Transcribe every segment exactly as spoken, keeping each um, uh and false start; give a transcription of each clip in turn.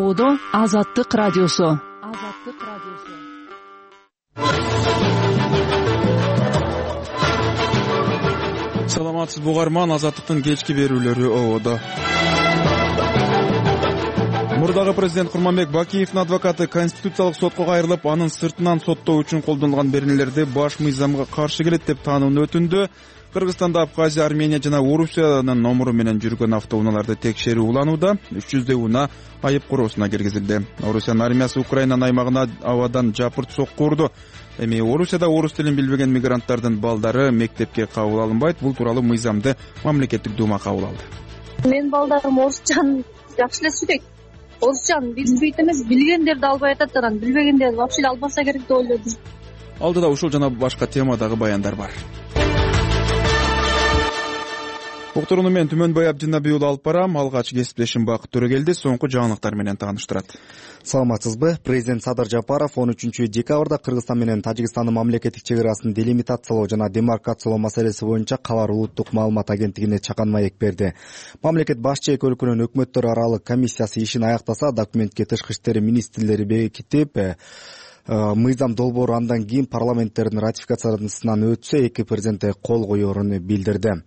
ободо Азаттык радиосу. Азаттык радиосу. Саламатсызбы угарман, Азаттыктын кечки берүүлөрү ободо. Мурдагы президент Курманбек Бакиевдин адвокаты Конституциялык сотко кайрылып, анын сыртынан соттоо үчүн колдонулган беренелерди баш мыйзамга каршы келет деп таанууну өтүндү. Кыргызстанда Абхазия, Армения жана Орусиянын номуру менен жүргөн автоунааларды текшерүү уланууда. үч жүздөй унаа айып короосуна киргизилди. Орусиянын армиясы Украинанын аймагына абадан жапырт сокку урду. Эми Орусияда орус тилин билбеген мигранттардын балдары мектепке кабыл алынбайт. Бул тууралуу мыйзамды мамлекеттик дума кабыл алды. Менин балдарым орусчаны жакшы эле сүйлөйт. Орусчаны билбейт эмес, билгендерди албай атат, анан билбегендерди вообще эле албаса керек деп ойлодум. Алдыда ушул жана башка темадагы баяндар бар. Уктурууну мен Түмөнбай Абдинабий уулу алып барам. Алгач кесиптешим Бакыт Төрөгелди соңку жаңылыктар менен тааныштырат. Саламатсызбы? Президент Садыр Жапаров он үчүнчү декабрда Кыргызстан менен Тажикстандын мамлекеттик чек арасын делимитациялоо жана демаркациялоо маселеси боюнча Калар улуттук маалымат агенттигине чакан маек берди. Мамлекет башчы эки өлкөнүн өкмөттөр аралык комиссиясы ишин аяктаса, документке тышкы иштер министрлери бекитип, мыйзам долбоору андан кийин парламенттердин ратификациясынан өтсө, эки президент кол коерун билдирди.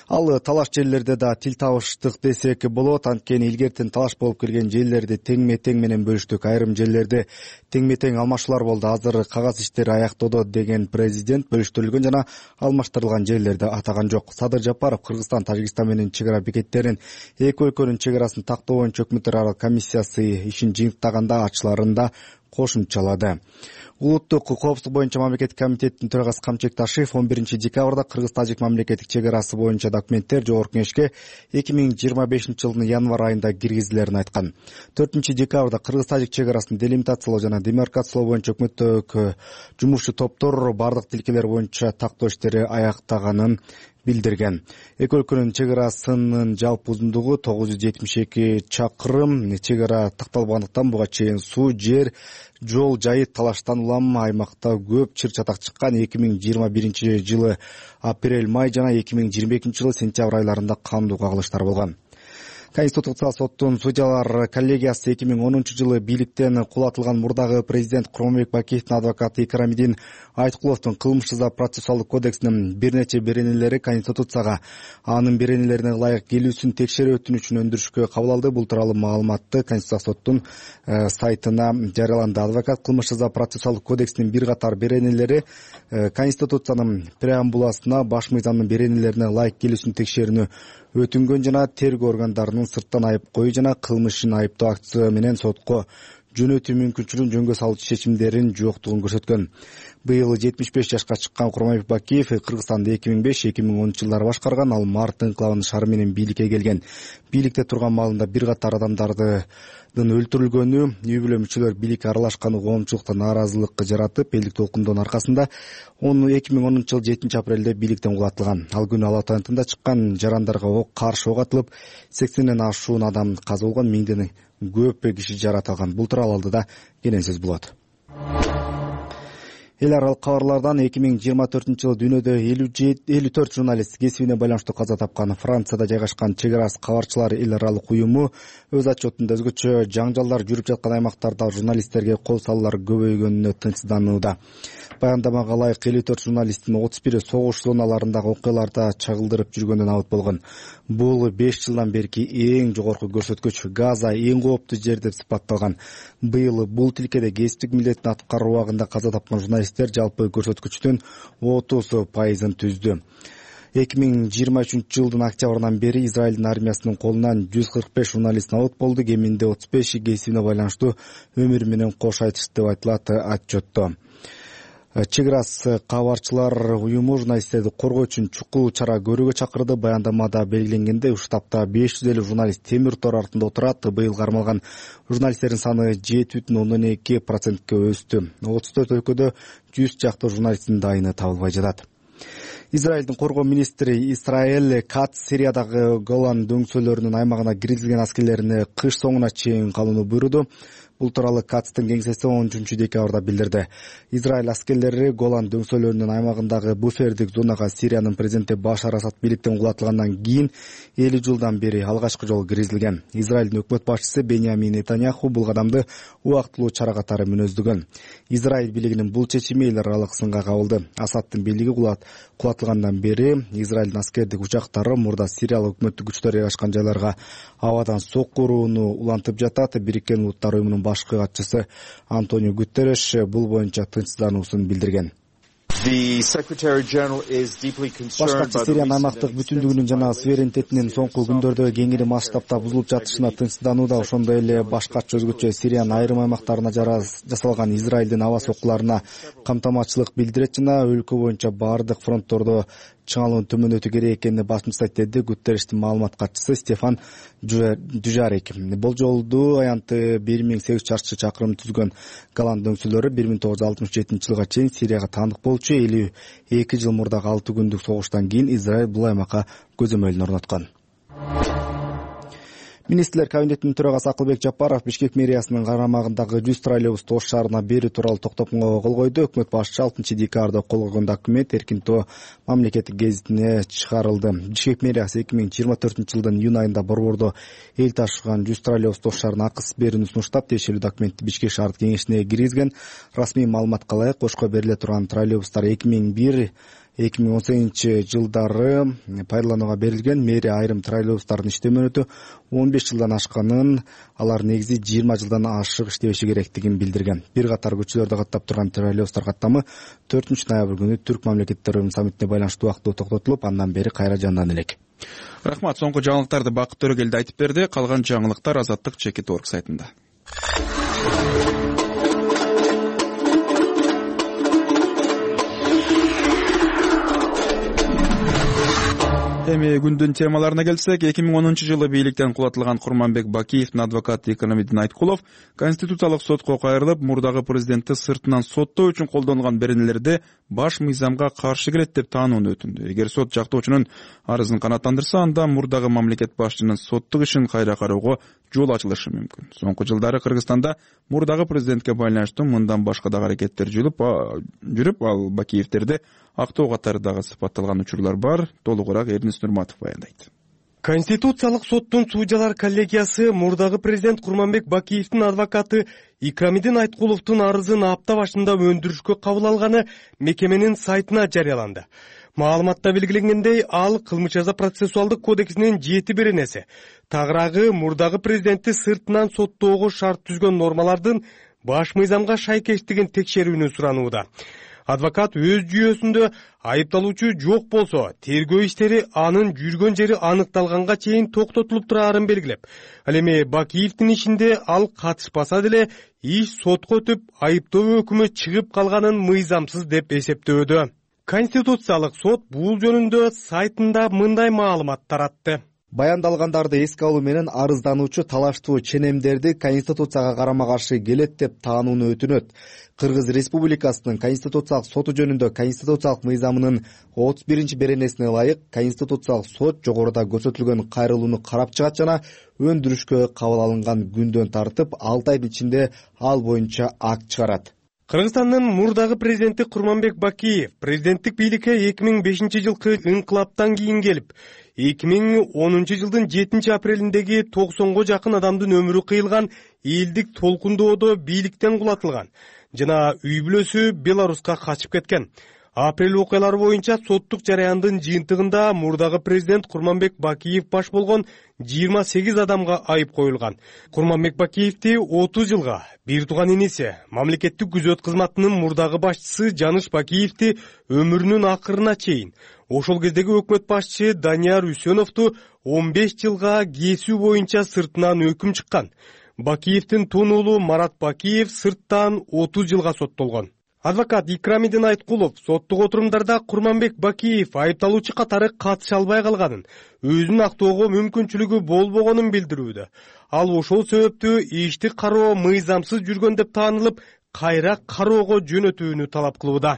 Ал талаш жерлерде да тил табыштык десек болот, анткени илгертен талаш болуп келген жерлерди теңме-тең менен бөлүштүк. Айрым жерлерде теңме-тең алмашуулар болду. Азыр кагаз иштери аяктоодо деген президент бөлүштүрүлгөн жана алмаштырылган жерлерди атаган жок. Садыр Жапаров Кыргызстан Тажикстан менен чек ара бекеттерин эки өлкөнүн чек арасын тактоо боюнча өкмөттөр аралык комиссиясы ишин жыйынтаганда ачыларын да кошумчалады. Улуттук коопсуздук боюнча мамлекеттик комитеттин төрагасы Камчек Ташиев он биринчи декабрда Кыргыз-Тажик мамлекеттик чек арасы боюнча документтер Жогорку Кеңешке эки миң жыйырма бешинчи жылдын январь айында киргизилерин айткан. төртүнчү декабрда Кыргыз-Тажик чек арасын делимитациялоо жана демаркациялоо боюнча өкмөттүк жумушчу топтор бардык тилкелер боюнча тактоо иштери аяктаганын билдирген. Эки өлкөнүн чек арасынын жалпы узундугу тогуз жүз жетимиш эки чакырым. Чек ара такталбагандыктан буга чейин суу, жер, жол жайы талаштан улам аймакта көп чыр чатак чыккан. эки миң жыйырма биринчи жылы апрель, май жана эки миң жыйырма экинчи жылы сентябрь айларында кандуу кагылыштар болгон. Конституциялык соттун судьялар коллегиясы эки миң онунчу жылы бийликтен кулатылган мурдагы президент Курманбек Бакиевдин адвокаты Икрамидин Айткуловдун кылмыш жаза процессуалдык кодексинин бир нече беренелери Конституцияга анын беренелерине ылайык келүүсүн текшерүү өтүнүчүн өндүрүшкө кабыл алды. Бул тууралуу маалыматты Конституциялык соттун сайтына жарыяланды. Адвокат кылмыш жаза процессуалдык кодексинин бир катар беренелери Конституциянын преамбуласына баш мыйзамдын беренелерине ылайык келүүсүн текшерүүнү өтүнгөн жана тергөө органдарынын сырттан айып коюу жана кылмышын айыптоо актысы менен сотко жөнөтүү мүмкүнчүлүгүн жөнгө салуучу чечимдерин жоктугун көрсөткөн. Быйыл жетимиш беш жашка чыккан Курманбек Бакиев Кыргызстанды эки миң беш эки миң онунчу жылдары башкарган. Ал март инкылабынын шары менен бийликке келген. Бийликте турган маалында бир катар адамдардын өлтүрүлгөнү, үй бүлө мүчөлөр бийликке аралашканы коомчулукта нааразылык жаратып, элдик толкундоонун аркасында эки миң онунчу жылы жетинчи апрелде бийликтен кулатылган. Ал күнү Ала Тоо чыккан жарандарга ок каршы ок атылып, сексенден ашуун адам каза болгон, миңден көп киши жаратылган. Бул тууралуу алдыда кенен сөз болот. Эл аралык кабарлардан эки миң жыйырма төртүнчү жылы дүйнөдө элүү төрт журналист кесибине байланыштуу каза тапкан. Францияда жайгашкан чек арасы кабарчылар эл аралык уюму өз отчетунда өзгөчө жаңжалдар жүрүп жаткан аймактарда журналисттерге кол салуулар көбөйгөнүнө тынчсызданууда. Баяндамага ылайык элүү төрт журналисттин отуз бири согуш зоналарындагы окуяларда чагылдырып жүргөндө набыт болгон. Бул беш жылдан берки эң жогорку көрсөткүч. Газа эң кооптуу жер деп сыпатталган. Быйыл бул тилкеде кесиптик милдетин аткаруу убагында каза тапкан журналисттер жалпы көрсөткүчтүн отуз пайызын түздү. эки миң жыйырма үчүнчү жылдын октябрынан бери Израилдин армиясынын колунан жүз кырк беш журналист набыт болду. Кеминде отуз беши кесибине байланыштуу өмүрү менен кош айтышты деп айтылат отчетто. Чек арасы кабарчылар уюму журналисттерди коргоо үчүн чукул чара көрүүгө чакырды. Баяндамада белгиленгендей, уштапта беш жүз элүү журналист темир тор артында отурат. Быйыл кармалган журналисттердин саны жети бүтүн ондон эки процентке өстү. отуз төрт өлкөдө жүз чакты журналисттин дайыны табылбай жатат. Израилдин коргоо министри Исраэль Кац Сириядагы Голан дөңсөлөрүнүн аймагына киргизилген аскерлерине кыш соңуна чейин калууну буйруду. Бул тууралуу Кацтын кеңсеси он үчүнчү декабрда билдирди. Израиль аскерлери Голан дөңсөлөрүнүн аймагындагы буфердик зонага Сириянын президенти Башар Асад бийликтен кулатылгандан кийин элүү жылдан бери алгачкы жолу киргизилген. Израилдин өкмөт башчысы Беньямин Нетаньяху бул кадамды убактылуу чара катары мүнөздөгөн. Израиль бийлигинин бул чечими эл аралык сынга кабылды. Асадтын бийлиги кулатылгандан бери Израилдин аскердик учактары мурда Сириялык өкмөттүк күчтөр жайгашкан жайларга абадан сокку урууну улантып жатат. Бириккен Улуттар уюмунун башкы катчысы Антонио Гутерреш бул боюнча тынчсыздануусун билдирген. Баш катчы Сириянын аймактык бүтүндүгүнүн жана суверенитетинин соңку күндөрдө кеңири масштабта бузулуп жатышына тынчсызданууда. Ошондой эле баш катчы өзгөчө Сириянын айрым аймактарына жасалган Израилдин аба соккуларына камтаматчылык билдирет жана өлкө боюнча баардык фронттордо чыңалуунун төмөндөтүү керек экенине басым жасайт, деди Гутеррештин маалымат катчысы Стефан Дюжарик. Болжолдуу аянты бир миң сегиз жүз чарчы чакырым түзгөн Голан дөңсөлөрү бир миң тогуз жүз алтымыш жетинчи жылга чейин Сирияга таандык болчу. элүү эки жыл мурдагы алты күндүк согуштан кийин Израиль бул аймакка көзөмөлүн орноткон. Министрлер кабинетинин төрагасы Акылбек Жапаров Бишкек мэриясынын карамагындагы жүз троллейбусту Ош шаарына берүү тууралуу токтомго кол койду. Өкмөт башчысы алтынчы декабрда кол койгон документ Эркинтоо мамлекеттик гезитине чыгарылды. Бишкек мэриясы эки миң жыйырма төртүнчү жылдын июнь айында борбордо эл ташыган жүз троллейбусту Ош шаарына акысыз берүүнү сунуштап, тиешелүү документти Бишкек шаардык кеңешине киргизген. Расмий маалыматка ылайык, Ошко бериле турган троллейбустар эки миң бир эки миң он сегизинчи жылдары пайдаланууга берилген. Мэрия айрым троллейбустардын иштөө мөөнөтү он беш жылдан ашканын, алар негизи жыйырма жылдан ашык иштебеши керектигин билдирген. Бир катар көчөлөрдө каттап турган троллейбустар каттамы төртүнчү ноябрь күнү Түрк мамлекеттеринин саммитине байланыштуу убактылуу токтотулуп, андан бери кайра жандана элек. Рахмат. Соңку жаңылыктарды Бакыт Төрөгелди айтып берди. Калган жаңылыктар Азаттык чекит орг сайтында. Эми күндүн темаларына келсек, эки миң онунчу жылы бийликтен кулатылган Курманбек Бакиевдин адвокаты Икрамидин Айткулов Конституциялык сотко кайрылып, мурдагы президентти сыртынан соттоо үчүн колдонулган беренелерди баш мыйзамга каршы келет деп таанууну өтүндү. Эгер сот жактоочунун арызын канааттандырса, анда мурдагы мамлекет башчынын соттук ишин кайра кароого жол ачылышы мүмкүн. Соңку жылдары Кыргызстанда мурдагы президентке байланыштуу мындан башка дагы аракеттер жүрүп, ал Бакиевдерди актоо катары дагы сыпатталган учурлар бар. Толугураак Эрнис Нурматов баяндайт. Конституциялык соттун судьялар коллегиясы мурдагы президент Курманбек Бакиевдин адвокаты Икрамидин Айткуловдун арызын апта башында өндүрүшкө кабыл алганы мекеменин сайтына жарыяланды. Маалыматта белгиленгендей, ал кылмыш жаза процессуалдык кодексинин жети беренеси тагыраагы мурдагы президентти сыртынан соттоого шарт түзгөн нормалардын баш мыйзамга шайкештигин текшерүүнү суранууда. Адвокат өз жүйөсүндө айыпталуучу жок болсо, тергөө иштери анын жүргөн жери аныкталганга чейин токтотулуп турарын белгилеп, ал эми Бакиевдин ишинде ал катышпаса деле иш сотко өтүп, айыптоо өкүмү чыгып калганын мыйзамсыз деп эсептөөдө. Конституциялык сот бул жөнүндө сайтында мындай маалымат таратты. Баяндалгандарды эске алуу менен арыздануучу талаштуу ченемдерди Конституцияга карама-каршы келет деп таанууну өтүнөт. Кыргыз Республикасынын Конституциялык соту жөнүндө Конституциялык мыйзамынын отуз биринчи беренесине ылайык Конституциялык сот жогоруда көрсөтүлгөн кайрылууну карап чыгат жана өндүрүшкө кабыл алынган күндөн тартып алты айдын ичинде ал боюнча акт чыгарат. Кыргызстандын мурдагы президенти Курманбек Бакиев президенттик бийликке эки миң бешинчи жылкы инкылаптан кийин келип, эки миң онунчу жылдын жетинчи апрелиндеги токсонго жакын адамдын өмүрү кыйылган элдик толкундоодо бийликтен кулатылган жана үй бүлөсү Беларуска качып кеткен. Апрель окуялары боюнча соттук жараяндын жыйынтыгында мурдагы президент Курманбек Бакиев баш болгон жыйырма сегиз адамга айып коюлган. Курманбек Бакиевди отуз жылга, бир тууган иниси, мамлекеттик күзөт кызматынын мурдагы башчысы Жаныш Бакиевди өмүрүнүн акырына чейин, ошол кездеги өкмөт башчы Данияр Үсөновду он беш жылга кесүү боюнча сыртынан өкүм чыккан. Бакиевдин тун уулу Марат Бакиев сырттан отуз жылга соттолгон. Адвокат Икрамидин Айткулов соттук отурумдарда Курманбек Бакиев айыпталуучу катары катыша албай калганын, өзүн актоого мүмкүнчүлүгү болбогонун билдирүүдө. Ал ошол себептүү ишти кароо мыйзамсыз жүргөн деп таанылып, кайра кароого жөнөтүүнү талап кылууда.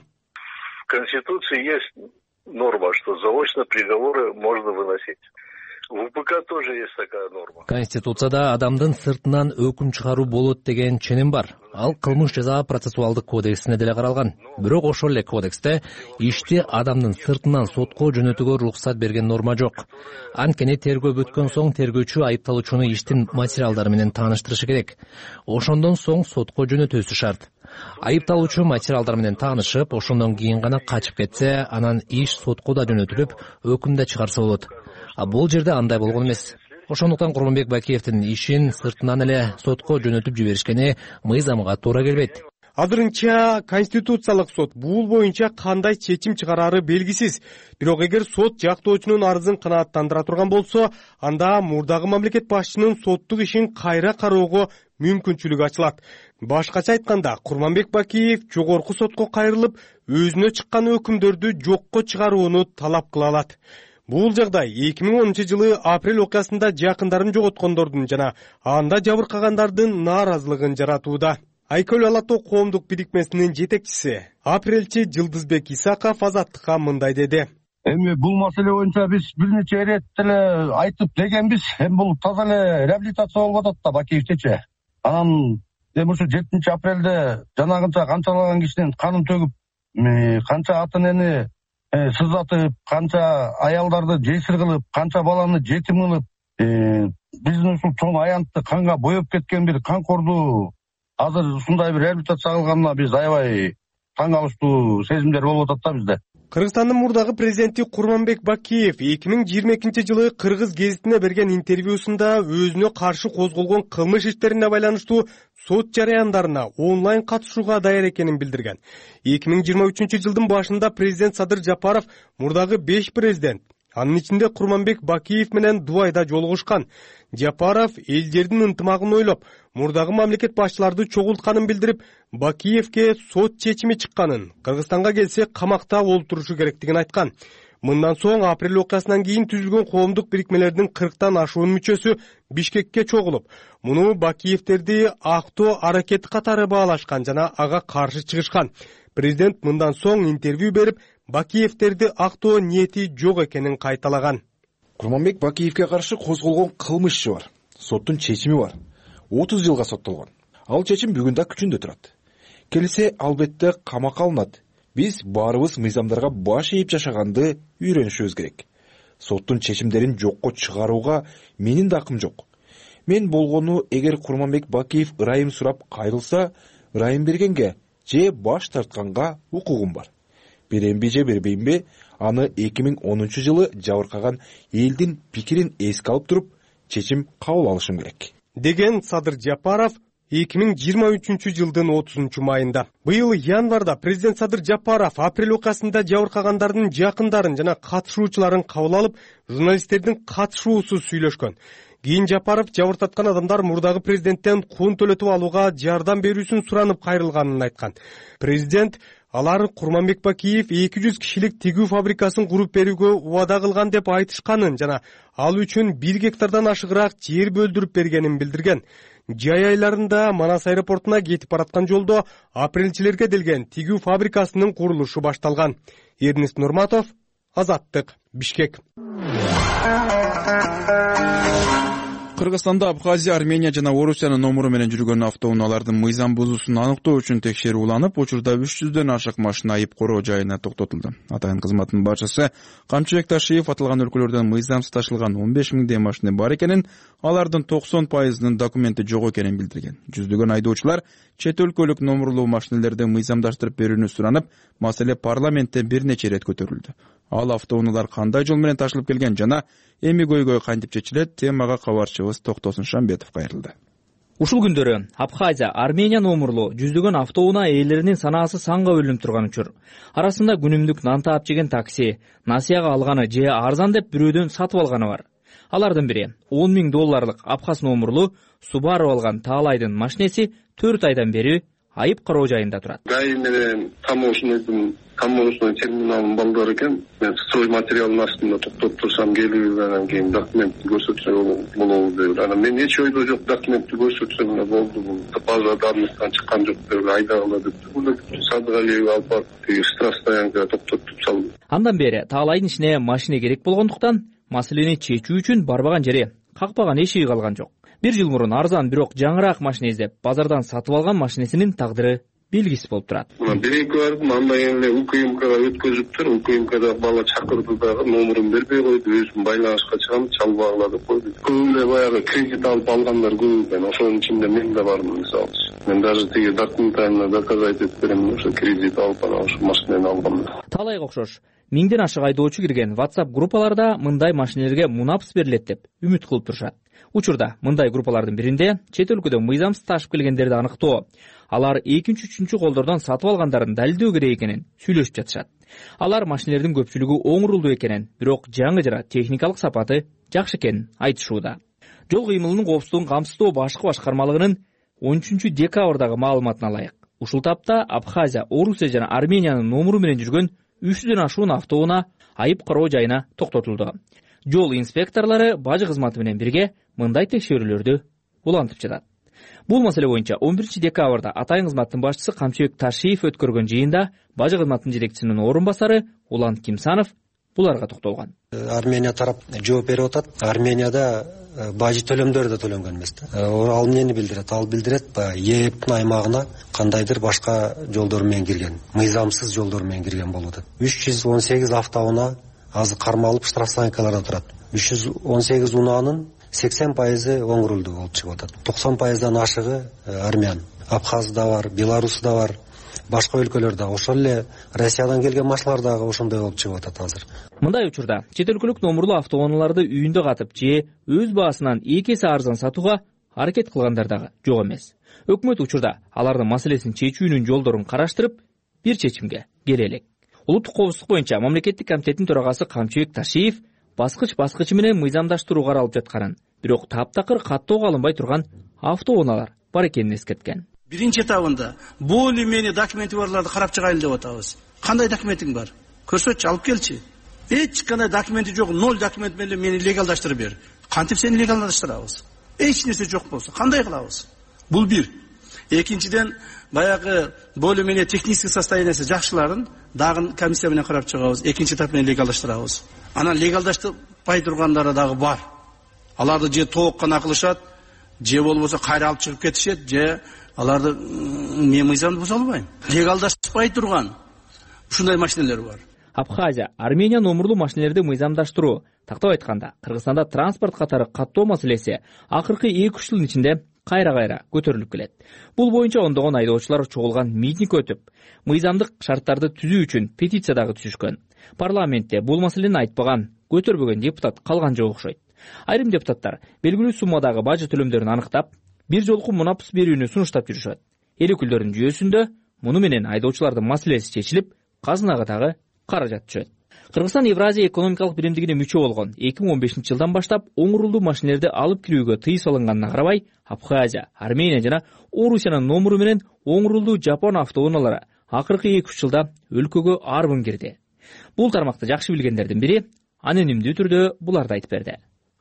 В Конституции есть норма, что заочно приговоры можно выносить. УПК тоже есть такая норма. Конституцияда адамдын сыртынан өкүм чыгаруу болот деген ченем бар. Ал кылмыш жаза процессуалдык кодексине деле каралган. Бирок ошол эле кодексте ишти адамдын сыртынан сотко жөнөтүүгө уруксат берген норма жок. Анткени тергөө бүткөн соң тергөөчү айыпталуучуну иштин материалдары менен тааныштырышы керек. Ошондон соң сотко жөнөтүүсү шарт. Айыпталуучу материалдар менен таанышып, ошондон кийин гана качып кетсе, анан иш сотко да жөнөтүлүп, өкүм да чыгарса болот. А бул жерде андай болгон эмес. Ошондуктан Курманбек Бакиевдин ишин сыртынан эле сотко жөнөтүп жиберишкени мыйзамга туура келбейт. Азырынча Конституциялык сот бул боюнча кандай чечим чыгарары белгисиз. Бирок эгер сот жактоочунун арызын канааттандыра турган болсо, анда мурдагы мамлекет башчынын соттук ишин кайра кароого мүмкүнчүлүк ачылат. Башкача айтканда, Курманбек Бакиев жогорку сотко кайрылып, өзүнө чыккан өкүмдөрдү жокко чыгарууну талап кыла алат. Бул жагдай эки миң онунчу жылы апрель окуясында жакындарын жоготкондордун жана анда жабыркагандардын нааразылыгын жаратууда. Айкөл ала тоо коомдук бирикмесинин жетекчиси, апрелчи Жылдызбек Исаков Азаттыкка мындай деди. Эми бул маселе боюнча биз бир нече ирет деле айтып дегенбиз. Эми бул таза эле реабилитация болуп атат да Бакиевчичи. Анан эми ушу жетинчи апрелде жанагынча канчалаган кишинин канын төгүп, канча ата энени сызатып, канча аялдарды жесир кылып, канча баланы жетим кылып, биздин ушул чоң аянтты канга боеп кеткен бир канкорду азыр ушундай бир реабилитация кылганына биз аябай таң калыштуу сезимдер болуп атат да бизде. Кыргызстандын мурдагы президенти Курманбек Бакиев эки миң жыйырма экинчи жылы Кыргыз гезитине берген интервьюсунда өзүнө каршы козголгон кылмыш иштерине байланыштуу сот жарыяндарына онлайн катышууга даяр экенин билдирген. эки миң жыйырма үчүнчү жылдын башында президент Садыр Жапаров мурдагы беш президент, анын ичинде Курманбек Бакиев менен Дубайда жолугушкан. Жапаров элдердин ынтымагын ойлоп, мурдагы мамлекет башчыларды чогултканын билдирип, Бакиевке сот чечими чыкканын, Кыргызстанга келсе камакта олтурушу керектигин айткан. Мындан соң апрель окуясынан кийин түзүлгөн коомдук бирикмелердин кырктан ашуун мүчөсү Бишкекке чогулуп, муну Бакиевтерди актоо аракети катары баалашкан жана ага каршы чыгышкан. Президент мындан соң интервью берип, Бакиевтерди актоо ниети жок экенин кайталаган. Курманбек Бакиевке каршы козголгон кылмышы бар. Соттун чечими бар. отуз жылга соттолгон. Ал чечим бүгүн да күчүндө турат. Келсе албетте камакка алынат. Биз баарыбыз мыйзамдарга баш ийип жашаганды үйрөнүшүбүз керек. Соттун чечимдерин жокко чыгарууга менин да акым жок. Мен болгону эгер Курманбек Бакиев ырайым сурап кайрылса, ырайым бергенге же баш тартканга укугум бар. Беремби же бербеймби, аны эки миң онунчу жылы жабыркаган элдин пикирин эске алып туруп, чечим кабыл алышым керек. Деген Садыр Жапаров эки миң жыйырма үчүнчү жылдын отузунчу майында. Быйыл январда президент Садыр Жапаров апрель окуясында жабыркагандардын жакындарын жана катышуучуларын кабыл алып, журналисттердин катышуусуз сүйлөшкөн. Кийин Жапаров жабыртаткан адамдар мурдагы президенттен кун төлөтүп алууга жардам берүүсүн суранып кайрылганын айткан. Президент алар Курманбек Бакиев эки жүз кишилик тигүү фабрикасын куруп берүүгө убада кылган деп айтышканын жана ал үчүн бир гектардан ашыгыраак жер бөлдүрүп бергенин билдирген. Жай айларында Манас аэропортуна кетип бараткан жолдо апрелчилерге делген тигүү фабрикасынын курулушу башталган. Эрнест Нурматов, Азаттык, Бишкек. Кыргызстанда Абхазия, Армения жана Орусиянын номуру менен жүргөн автоунаалардын мыйзам бузуусун аныктоо үчүн текшерүү уланып, учурда үч жүздөн ашык машина айып короо жайына токтотулду. Атайын кызматтын башчысы Камчыбек Ташиев аталган өлкөлөрдөн мыйзамсыз ташылган он беш миңдей машина бар экенин, алардын токсон пайызынын документи жок экенин билдирген. Жүздөгөн айдоочулар чет өлкөлүк номурлуу машинелерди мыйзамдаштырып берүүнү суранып, маселе парламентте бир нече ирет көтөрүлдү. Ал автоунаалар кандай жол менен ташылып келген жана эми көйгөй кантип чечилет, темага кабарчыбыз Токтосун Шамбетов кайрылды. Ушул күндөрү Абхазия, Армения номурлуу жүздөгөн автоунаа ээлеринин санаасы санга бөлүнүп турган учур. Арасында күнүмдүк нан таап жеген такси, насыяга алганы же арзан деп бирөөдөн сатып алганы бар. Алардын бири он миң долларлык Абхаз номурлуу Subaru алган Таалайдын машинеси төрт айдан бери айып кароо жайында турат. ГАИ менен таможнядын таможня терминалынын балдары экен. Мен строй материалдын астында токтоп турсам келип, анан кийин документти көрсөтсө болобу деп. Анан мен эч ойдо жок, документти көрсөтсөм эле болду, бул база данныктан чыккан жок деп айдагыла деп. Бул Садыгалиев алып барып штраф стоянкага токтотуп салды. Андан бери Таалайдын ишине машина керек болгондуктан маселени чечүү үчүн барбаган жери, какпаган эшиги калган жок. Бир жыл мурун арзан бирок жаңыраак машина издеп базардан сатып алган машинесинин тагдыры белгисиз болуп турат. Биринки бардым, андан кийин эле УКМКга өткөзүптүр. УКМКда бала чакырды дагы, номерин бербей койду. Өзүм байланышка чыгам, чалбагыла деп койду. Көп эле баягы кредит алып алгандар көп экен. Ошонун ичинде мен да бардым, мисалы. Мен даже тиги документально доказать этип берем, ошо кредит алып анан ошо машинени алгам. Талайга окшош миңден ашык айдоочу кирген WhatsApp группаларда мындай машинелерге мунапс берилет деп үмүт кылып турушат. Учурда мындай группалардын биринде чет өлкөдө мыйзамсыз ташып келгендерди аныктоо, алар экинчи үчүнчү колдордон сатып алгандарын далилдөө керек экенин сүйлөшүп жатышат. Алар машинелердин көпчүлүгү оңурулдуу экенин, бирок жаңы жана техникалык сапаты жакшы экенин айтышууда. Жол кыймылынын коопсуздугун камсыздоо башкы башкармалыгынын он үчүнчү декабрдагы маалыматына ылайык, ушул тапта Абхазия, Орусия жана Армениянын номуру менен жүргөн үч жүздөн ашуун автоунаа айып кароо жайына токтотулду. Жол инспекторлору бажы кызматы менен бирге мындай текшерүүлөрдү улантып жатат. Бул маселе боюнча он биринчи декабрда Атайын кызматтын башчысы Камчыбек Ташиев өткөргөн жыйында бажы кызматынын жетекчисинин орун басары Улан Кимсанов буларга токтолгон. Армения тарап жооп берип атат. Арменияда бажы төлөмдөр да төлөнгөн эмес да. Ал эмнени билдирет? Ал билдирет ЕЭПтин аймагына кандайдыр башка жолдор менен кирген, мыйзамсыз жолдор менен кирген болуп атат. үч жүз он сегиз автоунаа азыр кармалып штрафстоянкаларда турат. үч жүз он сегиз унаанын сексен пайызы оңурулду болуп чыгып атат. токсон пайыздан ашыгы армян. Абхазда бар, Беларусьда бар, башка өлкөлөрдө, ошол эле Россиядан келген машиналар дагы ошондой болуп чыгып атат азыр. Мындай учурда чет өлкөлүк номурлуу автоунааларды үйүндө катып же өз баасынан эки эсе арзан сатууга аракет кылгандар дагы жок эмес. Өкмөт учурда алардын маселесин чечүүнүн жолдорун караштырып, бир чечимге келе элек. Улуттук коопсуздук боюнча мамлекеттик комитеттин төрагасы Камчыбек Ташиев баскыч-баскычы менен мыйзамдаштыруу каралып жатканын, бирок таптакыр каттоого алынбай турган автоунаалар бар экенин эскерткен. Биринчи этабында более менее документи барларды карап чыгайлы деп атабыз. Кандай документиң бар? Көрсөтчү, алып келчи. Эч кандай документи жок, ноль документ менен мени легалдаштырып бер. Кантип сени легалдаштырабыз? Эч нерсе жок болсо кандай кылабыз? Бул бир. Экинчиден баягы более менее технический состояниясы жакшыларын дагы комиссия менен карап чыгабыз. Экинчи этап менен легалдаштырабыз. Анан легалдаштырбай тургандары дагы бар. Аларды же тооккана кылышат, же болбосо кайра алып чыгып кетишет, же аларды мен мыйзамды буза албайм. Легалдаштырбай турган ушундай машиналер бар. Абхазия, Армения номурлуу машинелерди мыйзамдаштыруу, тактап айтканда, Кыргызстанда транспорт катары каттоо маселеси акыркы эки үч жылдын ичинде кайра-кайра көтөрүлүп келет. Бул боюнча ондогон айдоочулар чогулган митинг өтүп, мыйзамдык шарттарды түзүү үчүн петиция дагы түзүшкөн. Парламентте бул маселени айтпаган, көтөрбөгөн депутат калган жок окшойт. Айрым депутаттар белгилүү суммадагы бажы төлөмдөрүн аныктап, бир жолку мунапс берүүнү сунуштап жүрүшөт. Эл өкүлдөрүнүн жүйөсүндө муну менен айдоочулардын маселеси чечилип, казынага дагы каражат түшөт. Кыргызстан Евразия экономикалык биримдигине мүчө болгон эки миң он бешинчи жылдан баштап оңурулдуу машинелерди алып кирүүгө тыюу салынганына карабай, Абхазия, Армения жана Орусиянын номуру менен оңурулдуу жапон автоунаалары акыркы эки үч жылда өлкөгө арбын кирди. Бул тармакты жакшы билгендердин бири анонимдүү түрдө буларды айтып берди.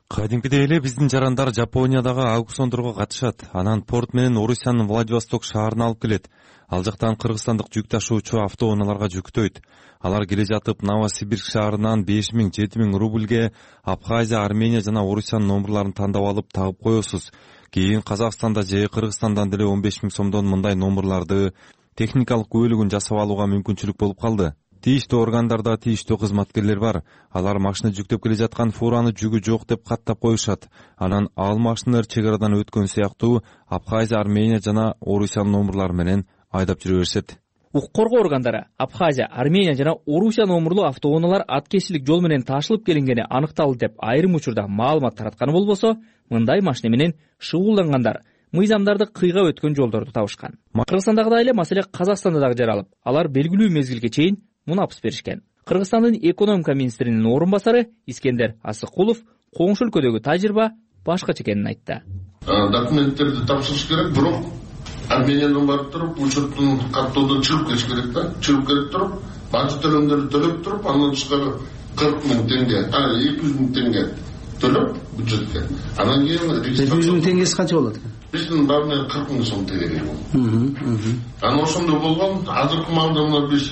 Кадимкидей эле биздин жарандар Жапониядагы аукциондорго катышат. Анан порт менен Орусиянын Владивосток шаарына алып келет. Ал жактан кыргызстандык жүк ташуучу автоунааларга жүктөйт. Алар келе жатып Новосибирск шаарынан беш миң жети миң рубльге Абхазия, Армения жана Орусиянын номурларын тандап алып тагып коесуз. Кийин Казакстанда же Кыргызстандан деле он беш миң сомдон мындай номурларды техникалык күбөлүгүн жасап алууга мүмкүнчүлүк болуп калды. Тийиштүү органдарда тийиштүү кызматкерлер бар. Алар машина жүктөп келе жаткан фураны жүгү жок деп каттап коюшат. Анан ал машиналар чек арадан өткөн сыяктуу Абхазия, Армения жана Орусиянын номурлары менен айдап жүрө беришет. Укук коргоо органдары Абхазия, Армения жана Орусия номурлуу автоунаалар аткечилик жол менен ташылып келингени аныкталды деп айрым учурда маалымат таратканы болбосо, мындай машина менен шугулдангандар мыйзамдарды кыйга өткөн жолдорду табышкан. Кыргызстандагыдай эле маселе Казакстанда дагы жаралып, алар белгилүү мезгилге чейин мунапс беришкен. Кыргызстандын экономика министринин орун басары Искендер Асыкулов коңшу өлкөдөгү тажрыйба башкача экенин айтты. Документтерди тапшырыш керек, бирок Армениядан барып туруп, учеттин каттоодон чыгып кетиш керек да. Чыгып кетип туруп, бажы төлөмдөрдү төлөп туруп, андан тышкары кырк миң теңге, а эки жүз миң теңге төлөп бюджетке. Анан кийин эки жүз миң теңгеси канча болот экен? Биздин баарына кырк миң сом тегерек болду. Анан ошондой болгон, азыркы маалда мына биз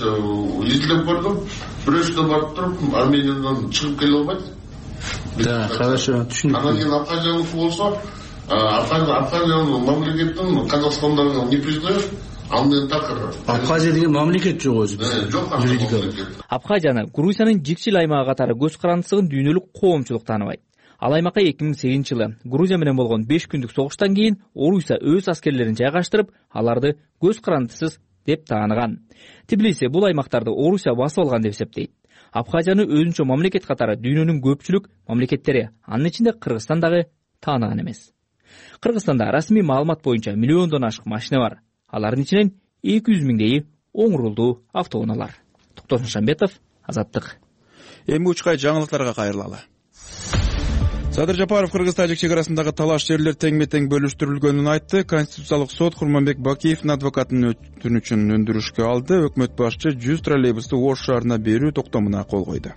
изилеп көрдүк. Бирөөсү барып туруп, Армениядан чыгып келе албайт. Да, хорошо, түшүнүктүү. Анан кийин Абхазияныкы болсо, Абхазиянын мамлекетин Казакстандагы не признает, ал менен такыр. Абхазия деген мамлекет жок өзү. Жок, юридикалык. Абхазияны Грузиянын жикчил аймагы катары көз карандысыгын дүйнөлүк коомчулук тааныбайт. Ал аймакка эки миң сегизинчи жылы Грузия менен болгон беш күндүк согуштан кийин Орусия өз аскерлерин жайгаштырып, аларды көз карандысыз деп тааныган. Тбилиси бул аймактарды Орусия басып алган деп эсептейт. Абхазияны өзүнчө мамлекет катары дүйнөнүн көпчүлүк мамлекеттери, анын ичинде Кыргызстан дагы тааныган эмес. Кыргызстанда расмий маалымат боюнча миллиондон ашык машина бар. Алардын ичинен эки жүз миңдейи оң рулдуу автоунаалар. Токтосун Шамбетов, Азаттык. Эми учкай жаңылыктарга кайрылалы. Садыр Жапаров Кыргыз-Тажик чек арасындагы талаш жерлер теңме-тең бөлүштүрүлгөнүн айтты. Конституциялык сот Курманбек Бакиевдин адвокатынын өтүнүчүн өндүрүшкө алды. Өкмөт башчы жүз троллейбусту Ош шаарына берүү токтомуна кол койду.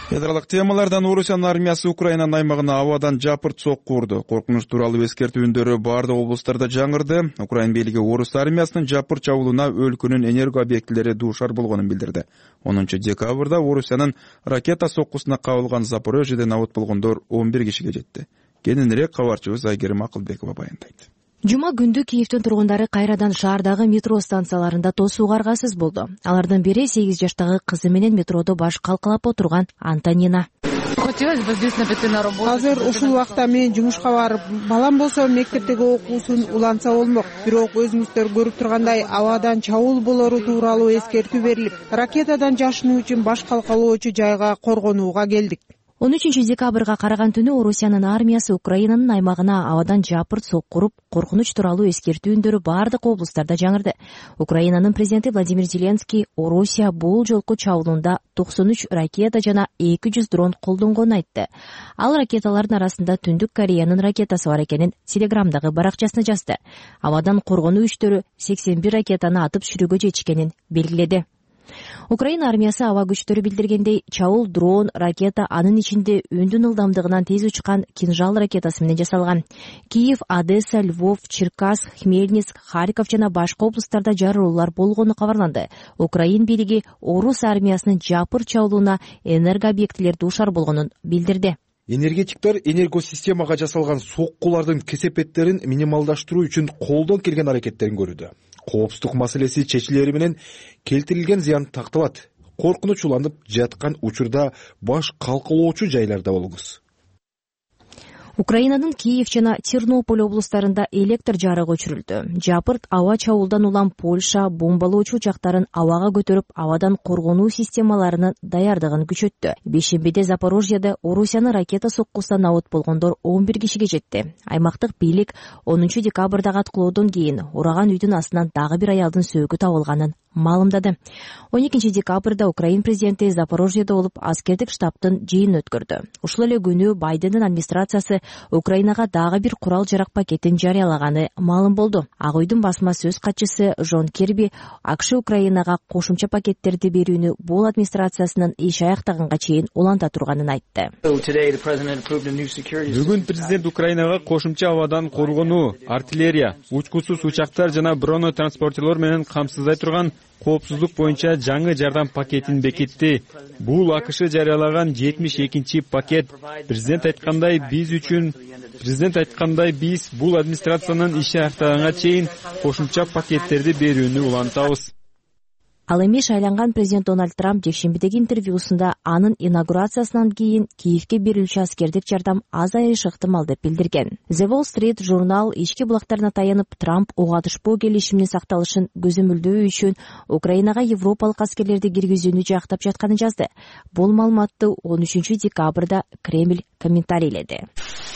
Ядралык темалардан Орусиянын армиясы Украинанын аймагына абадан жапырт сокку урду. Коркунуч тууралуу эскертүү үндөрү бардык облустарда жаңырды. Украин бийлиги Орус армиясынын жапырт чабуулуна өлкөнүн энерго объектилери дуушар болгонун билдирди. онунчу декабрда Орусиянын ракета соккусуна кабылган Запорожьеден абат болгондор он бир кишиге жетти. Кененирээк кабарчыбыз Айгерим Акылбекова баяндайт. Жума күндү Киевдин тургундары кайрадан шаардагы метро станцияларында тосууга аргасыз болду. Алардын бири сегиз жаштагы кызы менен метродо баш калкалап отурган Антонина. Азыр ушул убакта мен жумушка барып, балам болсо мектептеги окуусун уланса болмок. Бирок өзүңүздөр көрүп тургандай абадан чабуул болору тууралуу эскертүү берилип, ракетадан жашынуу үчүн баш калкалоочу жайга коргонууга келдик. он үчүнчү декабрга караган түнү Орусиянын армиясы Украинанын аймагына абадан жапырт сокку уруп, коркунуч тууралуу эскертүү үндөрү бардык облустарда жаңырды. Украинанын президенти Владимир Зеленский Орусия бул жолку чабуулунда токсон үч ракета жана эки жүз дрон колдонгонун айтты. Ал ракеталардын арасында Түндүк Кореянын ракетасы бар экенин Телеграмдагы баракчасына жазды. Абадан коргонуу күчтөрү сексен бир ракетаны атып түшүрүүгө жетишкенин белгиледи. Украина армиясы аба күчтөрү билдиргендей, чабуул дрон, ракета, анын ичинде үндүн ылдамдыгынан тез учкан кинжал ракетасы менен жасалган. Киев, Одесса, Львов, Черкасск, Хмельницк, Харьков жана башка облустарда жарылуулар болгону кабарланды. Украин бийлиги Орус армиясынын жапырт чабуулуна энерго объектилер дуушар болгонун билдирди. Энергетиктер энергосистемага жасалган соккулардын кесепеттерин минималдаштыруу үчүн колдон келген аракеттерин көрүүдө. Коопсуздук маселеси чечилери менен келтирилген зыян такталат. Коркунуч уланып жаткан учурда баш калкалоочу жайларда болуңуз. Украинанын Киев жана Тернополь облустарында электр жарыгы өчүрүлдү. Жапырт аба чабуулдан улам Польша бомбалоочу учактарын абага көтөрүп, абадан коргонуу системаларынын даярдыгын күчөттү. Бешембиде Запорожьеде Орусиянын ракета соккусунан абат болгондор он бир кишиге жетти. Аймактык бийлик онунчу декабрдагы аткылоодон кийин ураган үйдүн астынан дагы бир аялдын сөөгү табылганын маалымдады. он экинчи декабрда Украин президенти Запорожьеде болуп аскердик штабтын жыйынын өткөрдү. Ушул эле күнү Байдендин администрациясы Украинага дагы бир курал-жарак пакетин жарыялаганы маалым болду. Ак үйдүн басма сөз катчысы Жон Керби АКШ Украинага кошумча пакеттерди берүүнү бул администрациясынын иш аяктаганга чейин уланта турганын айтты. Бүгүн президент Украинага кошумча абадан коргонуу, артиллерия, учкусуз учактар жана бронетранспортерлор менен камсыздай турган коопсуздук боюнча жаңы жардам пакетин бекитти. Бул АКШ жарыялаган жетимиш экинчи пакет. Президент айткандай биз үчүн Президент айткандай биз бул администрациянын иши аяктаганга чейин кошумча пакеттерди берүүнү улантабыз. Ал эми шайланган президент Дональд Трамп жекшембидеги интервьюсунда анын инаугурациясынан кийин Киевге берилүүчү аскердик жардам азайышы ыктымал деп билдирген. The Wall Street журнал ички булактарына таянып Трамп ого атышпоо келишиминин сакталышын көзөмөлдөө үчүн Украинага европалык аскерлерди киргизүүнү жактап жатканын жазды. Бул маалыматты он үчүнчү декабрда Кремль комментарийледи.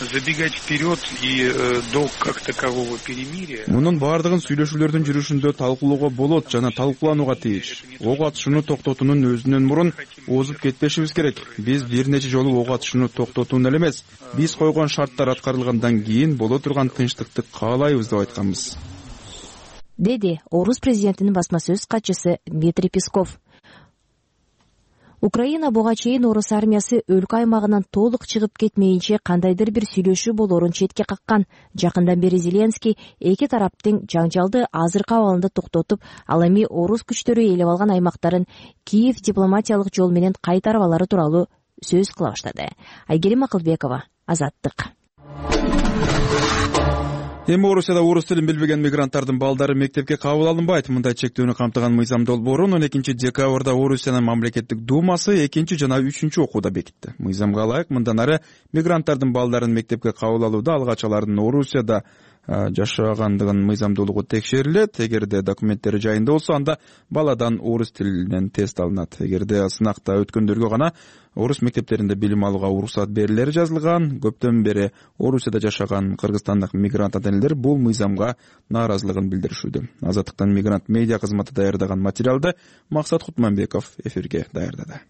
Забегать вперед и до как такового перемирия. Мунун бардыгын сүйлөшүүлөрдүн жүрүшүндө талкуулоого болот жана талкууланууга тийиш. Ок атышууну токтотуунун өзүнөн мурун озуп кетпешибиз керек. Биз бир нече жолу ок атышууну токтотууну эле эмес, биз койгон шарттар аткарылгандан кийин боло турган тынчтыкты каалайбыз деп айтканбыз, деди Орус президентинин басма сөз катчысы Дмитрий Песков. Украина буга чейин орус армиясы өлкө аймагынан толук чыгып кетмейинче кандайдыр бир сүйлөшүү болоорун четке каккан. Жакындан бери Зеленский эки тараптын жаңжалды азыркы абалында токтотуп, ал эми орус күчтөрү ээлеп алган аймактарын Киев дипломатиялык жол менен кайтарып алары тууралуу сөз кыла баштады. Айгерим Акылбекова, Азаттык. Эми Орусияда орус тилин билбеген мигранттардын балдары мектепке кабыл алынбайт. Мындай чектүүнү камтыган мыйзам долбоорун он экинчи декабрда Орусиянын мамлекеттик думасы экинчи жана үчүнчү окууда бекитти. Мыйзамга ылайык мындан ары мигранттардын балдарын мектепке кабыл алууда алгач алардын Орусияда жашагандыгын мыйзамдуулугу текшерилет. Эгерде документтери жайында болсо, анда баладан орус тилинен тест алынат. Эгерде сынакта өткөндөргө гана орус мектептеринде билим алууга уруксат берилери жазылган. Көптөн бери Орусияда жашаган кыргызстандык мигрант ата-энелер бул мыйзамга нааразылыгын билдиришүүдө. Азаттыктан мигрант медиа кызматы даярдаган материалды Максат Кутманбеков эфирге даярдады.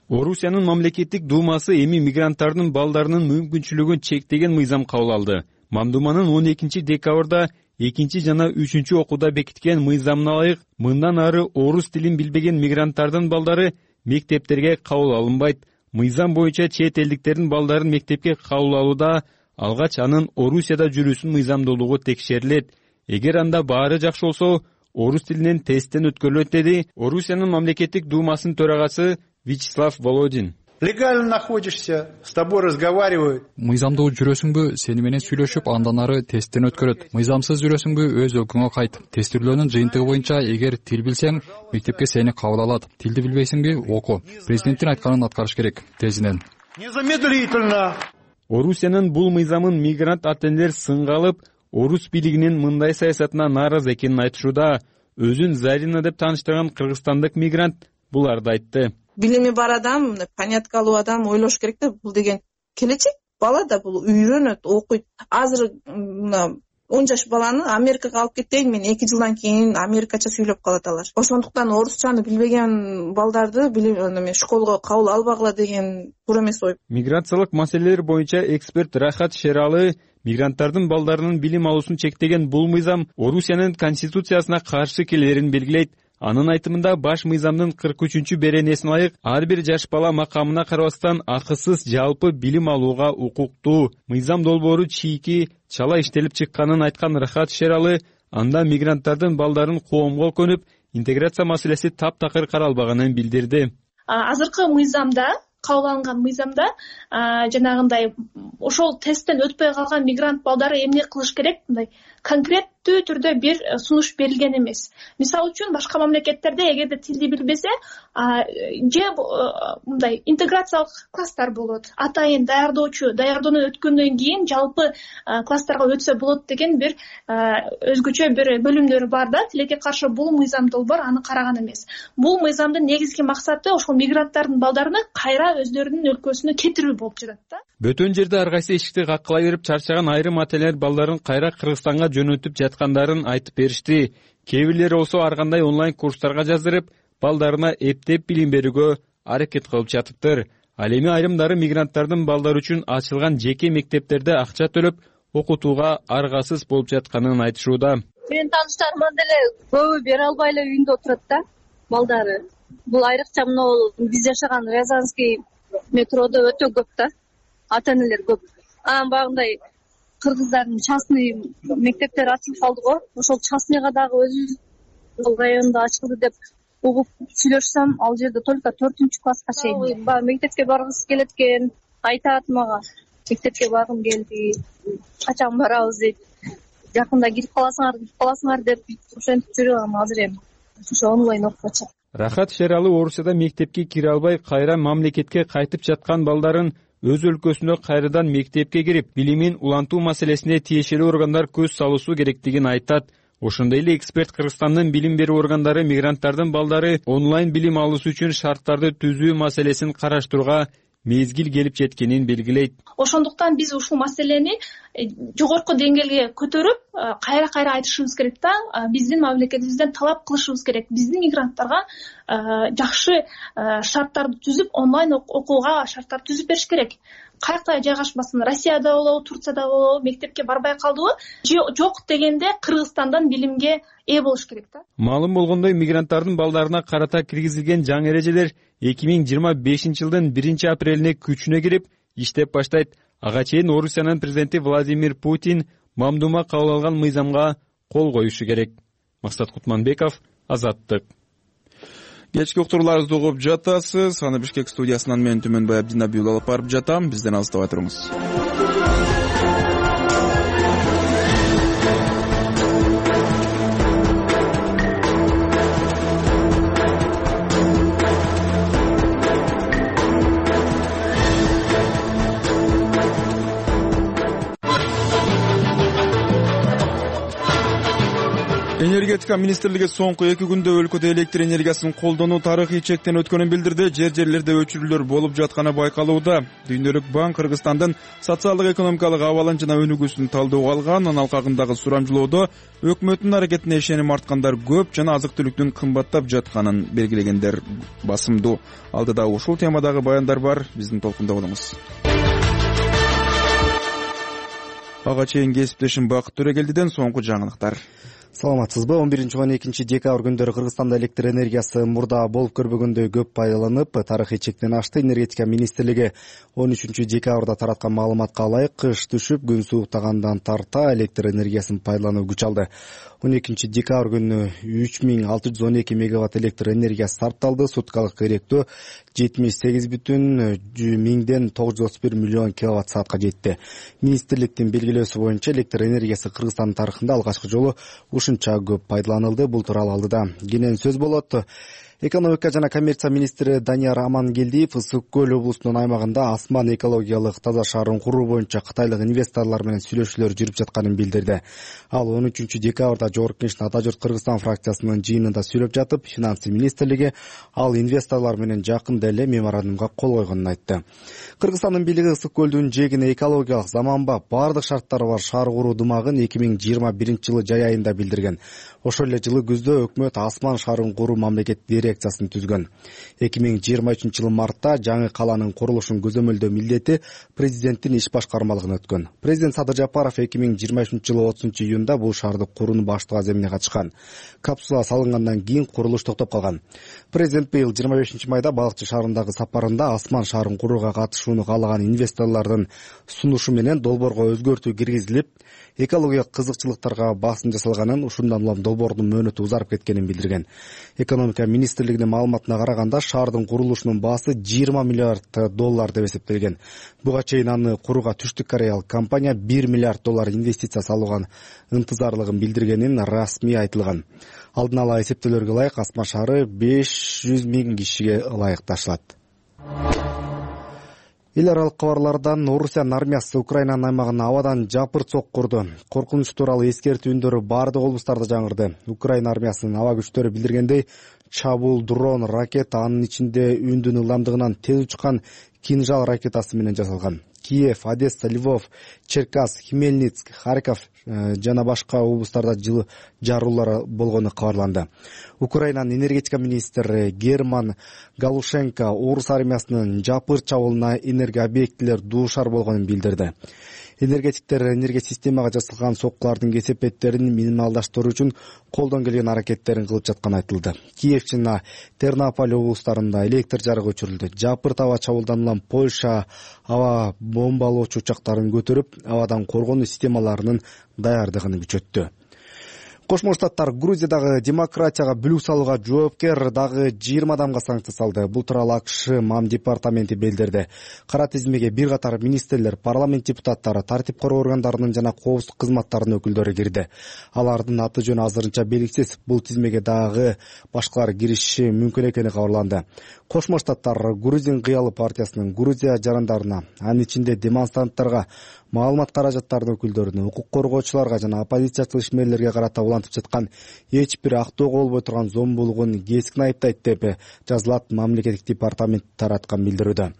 Орусиянын мамлекеттик думасы эми мигранттардын балдарынын мүмкүнчүлүгүн чектеген мыйзам кабыл алды. Мамдуманын он экинчи декабрда экинчи жана үчүнчү окууда бекиткен мыйзамына ылайык мындан ары орус тилин билбеген мигранттардын балдары мектептерге кабыл алынбайт. Мыйзам боюнча чет элдиктердин балдарын мектепке кабыл алууда алгач анын Орусияда жүрүүсүнүн мыйзамдуулугу текшерилет. Эгер анда баары жакшы болсо, орус тилинен тесттен өткөрүлөт, деди Орусиянын мамлекеттик думасынын төрагасы Вячеслав Володин. Легально находишься, с тобой разговаривают. Мыйзамдуу жүрөсүңбү, сени менен сүйлөшүп, андан ары тесттен өткөрөт. Мыйзамсыз жүрөсүңбү, өз өлкөңө кайт. Тестирлөөнүн жыйынтыгы боюнча, эгер тил билсең, мектепке сени кабыл алат. Тилди билбейсиңби, оку. Президенттин айтканын аткарыш керек, тезинен. Незамедлительно. Орусиянын бул мыйзамын мигрант ата-энелер сынга алып, орус бийлигинин мындай саясатына нааразы экенин айтышууда. Өзүн Зарина деп тааныштырган кыргызстандык мигрант буларды айтты. Билими бар адам, понятка алуу адам ойлош керек да, бул деген келечек. Бала да бул үйрөнөт, окуйт. Азыр он жаш баланы Америкага алып кетейин, мен эки жылдан кийин америкача сүйлөп калат алар. Ошондуктан орусчаны билбеген балдарды билим школго кабыл албагыла деген туура эмес ой. Миграциялык маселелер боюнча эксперт Рахат Шералы мигранттардын балдарынын билим алуусун чектеген бул мыйзам Орусиянын конституциясына каршы келерин белгилейт. Анын айтымында баш мыйзамдын кырк үчүнчү беренесине ылайык ар бир жаш бала макамына карабастан акысыз жалпы билим алууга укуктуу. Мыйзам долбоору чийки чала иштелип чыкканын айткан Рахат Шералы анда мигранттардын балдарын коомго көнүп, интеграция маселеси таптакыр каралбаганын билдирди. Азыркы мыйзамда, кабыл алынган мыйзамда жанагындай ошол тесттен өтпөй калган мигрант балдары эмне кылыш керек, мындай конкреттүү түрдө бир сунуш берилген эмес. Мисалы үчүн башка мамлекеттерде эгерде тилди билбесе, же мындай интеграциялык класстар болот. Атайын даярдоочу, даярдоону өткөндөн кийин жалпы класстарга өтсө болот деген бир өзгөчө бир бөлүмдөр бар да. Тилекке каршы бул мыйзам долбоор аны караган эмес. Бул мыйзамдын негизги максаты ошол мигранттардын балдарыны кайра өздөрүнүн өлкөсүнө кетирүү болуп жатат да. Бөтөн жерде ар кайсы эшикти каккыла берип чарчаган айрым ата-энелер балдарын кайра Кыргызстанга жөнөтүп жаткандарын айтып беришти. Кээ бирлери болсо ар кандай онлайн курстарга жаздырып, балдарына эптеп билим берүүгө аракет кылып жатыптыр. Ал эми айрымдары мигранттардын балдары үчүн ачылган жеке мектептерде акча төлөп окутууга аргасыз болуп жатканын айтышууда. Менин тааныштарыман деле көбү бере албай эле үйүндө отурат да, балдары. Бул айрыкча мына биз жашаган Рязанский метродо өтө көп да, ата-энелер көп. Анан багындай кыргыздардын частный мектептери ачылып калды го. Ошол частныйга дагы өзүбүздүн районунда ачылды деп угуп сүйлөшсөм, ал жерде только төртүнчү класска чейин. Баягы мектепке баргысы келет экен, айтат мага. Мектепке баргым келди, качан барабыз дейт. Жакында кирип каласыңар, кирип каласыңар деп ошентип жүрөм азыр эми. Ошо онлайн окуп атышат. Рахат Шералы Орусияда мектепке кире албай кайра мамлекетке кайтып жаткан балдарын өз өлкөсүнө кайрадан мектепке кирип, билимин улантуу маселесине тиешелүү органдар көз салуусу керектигин айтат. Ошондой эле эксперт Кыргызстандын билим берүү органдары мигранттардын балдары онлайн билим алуусу үчүн шарттарды түзүү маселесин караштырууга мезгил келип жеткенин белгилейт. Ошондуктан биз ушул маселени жогорку деңгээлге көтөрүп, кайра-кайра айтышыбыз керек да, биздин мамлекетибизден талап кылышыбыз керек. Биздин мигранттарга жакшы шарттарды түзүп, онлайн окууга шарттарды түзүп бериш керек. каякта жайгашпасын, Россияда болобу, Турцияда болобу мектепке барбай калдыбы, жок дегенде Кыргызстандан билимге ээ болуш керек да. Маалым болгондой, мигранттардын балдарына карата киргизилген жаңы эрежелер эки миң жыйырма бешинчи жылдын биринчи апрелине күчүнө кирип иштеп баштайт. Ага чейин Орусиянын президенти Владимир Путин мамдума кабыл алган мыйзамга кол коюшу керек. Максат Кутманбеков, Азаттык. Кечки уктурууларыбызды угуп жатасыз. Аны Бишкек студиясынан мен Түмөнбай Абдинабиул алып барып жатам. Бизден алыстабай туруңуз. Энергетика министрлиги соңку эки күндө өлкөдө электр энергиясын колдонуу тарыхый чектен өткөнүн билдирди. Жер жерлерде өчүрүүлөр болуп жатканы байкалууда. Дүйнөлүк банк Кыргызстандын социалдык экономикалык абалын жана өнүгүүсүн талдөөгө алган. Анын алкагындагы сурамжылоодо өкмөттүн аракетине ишеним арткандар көп жана азык-түлүктүн кымбаттап жатканын белгилегендер басымдуу. Алдыда ушул темадагы баяндар бар. Биздин толкунда болуңуз. Ага чейин кесиптешим Бакыт Төрөгелдиден соңку жаңылыктар. Саламатсызбы? он биринчи он экинчи декабрь күндөрү Кыргызстанда электр энергиясы мурда болуп көрбөгөндөй көп пайдаланып, тарыхый чектен ашты. Энергетика министрлиги он үчүнчү декабрда тараткан маалыматка ылайык, кыш түшүп, күн сууктагандан тарта электр энергиясын пайдалануу күч алды. он экинчи декабрь күнү үч миң алты жүз он эки мегаватт электр энергиясы сарпталды. Суткалык керектөө жетимиш сегиз бүтүн миңден тогуз жүз отуз бир миллион киловатт саатка жетти. Министрликтин белгилөөсү боюнча электр энергиясы Кыргызстандын тарыхында алгачкы жолу ушунча көп пайдаланылды. Бул тууралуу алдыда кенен сөз болот. Экономика жана коммерция министри Данияр Амангелдиев Ысык көл облусунун аймагында асман экологиялык таза шаарын куруу боюнча кытайлык инвесторлор менен сүйлөшүүлөр жүрүп жатканын билдирди. Ал он үчүнчү декабрда Жогорку Кеңештин Ата журт Кыргызстан фракциясынын жыйынында сүйлөп жатып, финансы министрлиги ал инвесторлор менен жакында эле меморандумга кол койгонун айтты. Кыргызстандын бийлиги Ысык көлдүн жээгине экологиялык заманбап бардык шарттары бар шаар куруу дымагын эки миң жыйырма биринчи жылы жай айында билдирген. Ошол эле жылы күздө өкмөт асман шаарын куруу мамлекеттик дирекциясын түзгөн. эки миң жыйырма үчүнчү жылы мартта жаңы каланын курулушун көзөмөлдөө милдети президенттин иш башкармалыгына өткөн. Президент Садыр Жапаров эки миң жыйырма үчүнчү жылы отузунчу июнда бул шаарды курууну баштоо аземине катышкан. Капсула салынгандан кийин курулуш токтоп калган. Президент быйыл жыйырма бешинчи майда Балыкчы шаарындагы сапарында асман шаарын курууга катышууну каалаган инвесторлордун сунушу менен долбоорго өзгөртүү киргизилип, экологиялык кызыкчылыктарга басым жасалганын, ушундан улам долбоордун мөөнөтү узарып кеткенин билдирген. Экономика министрлигинин маалыматына караганда, шаардын курулушунун баасы жыйырма миллиард доллар деп эсептелген. Буга чейин аны курууга Түштүк Кореялык компания бир миллиард доллар инвестиция салууга ынтызарлыгын билдиргенин расмий айтылган. Алдын ала эсептөөлөргө ылайык асман шаары беш жүз миң кишиге ылайыкташылат. Эл аралык кабарлардан Орусиянын армиясы Украинанын аймагына абадан жапырт соккурду. Коркунуч тууралуу эскертүү үндөрү бардык облустарда жаңырды. Украина армиясынын аба күчтөрү билдиргендей, чабуул дрон, ракета, анын ичинде үндүн ылдамдыгынан тез учкан кинжал ракетасы менен жасалган. Киев, Одесса, Львов, Черкас, Хмельницк, Харьков жана башка облустарда жылы жаруулар болгону кабарланды. Украинанын энергетика министри Герман Галушенко орус армиясынын жапырт чабуулуна энергия объектилер дуушар болгонун билдирди. Энергетиктер энергия системага жасалган соккулардын кесепеттерин минималдаштыруу үчүн колдон келген аракеттерин кылып жатканы айтылды. Киев жана Тернополь облустарында электр жарыгы өчүрүлдү. Жапырт аба чабуулдан улам Польша аба бомбалоочу учактарын көтөрүп, абадан коргонуу системаларынын даярдыгын күчөттү. Кошмо Штаттар Грузиядагы демократияга бүлүк салууга жоопкер дагы жыйырма адамга санкция салды. Бул тууралуу АКШ МАМ департаменти билдирди. Кара тизмеге бир катар министрлер, парламент депутаттары, тартип короо органдарынын жана коопсуздук кызматтарынын өкүлдөрү кирди. Алардын аты жөнү азырынча белгисиз. Бул тизмеге дагы башкалар кириши мүмкүн экени кабарланды. Кошмо Штаттар Грузин кыялы партиясынын Грузия жарандарына, анын ичинде демонстранттарга, маалымат каражаттарынын өкүлдөрүнө, укук коргоочуларга жана оппозициячыл ишмерлерге карата улантып жаткан эч бир актоого болбой турган зомбулугун кескин айыптайт деп жазылат мамлекеттик департамент тараткан билдирүүдө.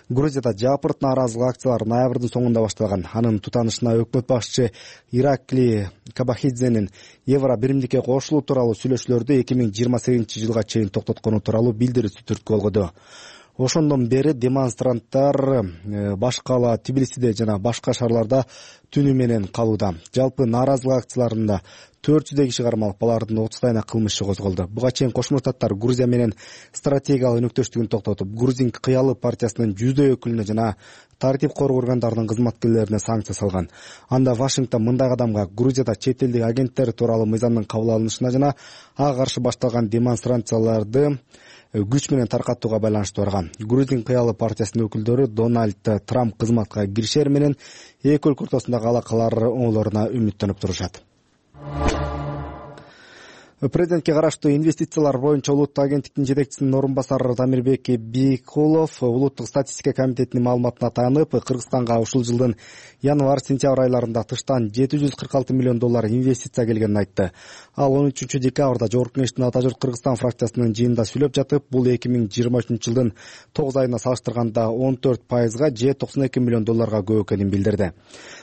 Грузияда жапырт нааразылык акциялары ноябрдын соңунда башталган. Анын тутанышына өкмөт башчы Иракли Кабахидзенин Евро биримдикке кошулуу тууралуу сүйлөшүүлөрдү эки миң жыйырма сегизинчи жылга чейин токтоткону тууралуу билдирүүсү түрткү болгоду. Ошондон бери демонстранттар баш кала Тбилисиде жана башка шаарларда түнү менен калууда. Жалпы нааразылык акцияларында төрт жүздөй киши кармалып, алардын отуздайына кылмыш иши козголду. Буга чейин Кошмо Штаттар Грузия менен стратегиялык өнөктөштүгүн токтотуп, Грузин кыялы партиясынын жүздөй өкүлүнө жана тартип коргоо органдарынын кызматкерлерине санкция салган. Анда Вашингтон мындай кадамга Грузияда чет элдик агенттер тууралуу мыйзамдын кабыл алынышына жана ага каршы башталган демонстрацияларды күч менен таркатууга байланыштуу барган. Грузин кыялы партиясынын өкүлдөрү Дональд Трамп кызматка киришер менен эки өлкө ортосундагы алакалар оңолоруна үмүттөнүп турушат. Президентке караштуу инвестициялар боюнча улуттук агенттиктин жетекчисинин орун басары Дамирбек Бийкулов улуттук статистика комитетинин маалыматына таянып, Кыргызстанга ушул жылдын январь-сентябрь айларында тыштан жети жүз кырк алты миллион доллар инвестиция келгенин айтты. Ал он үчүнчү декабрда Жогорку Кеңештин Ата журт Кыргызстан фракциясынын жыйынында сүйлөп жатып, бул эки миң жыйырма үчүнчү жылдын тогуз айына салыштырганда он төрт пайызга же токсон эки миллион долларга көп экенин билдирди.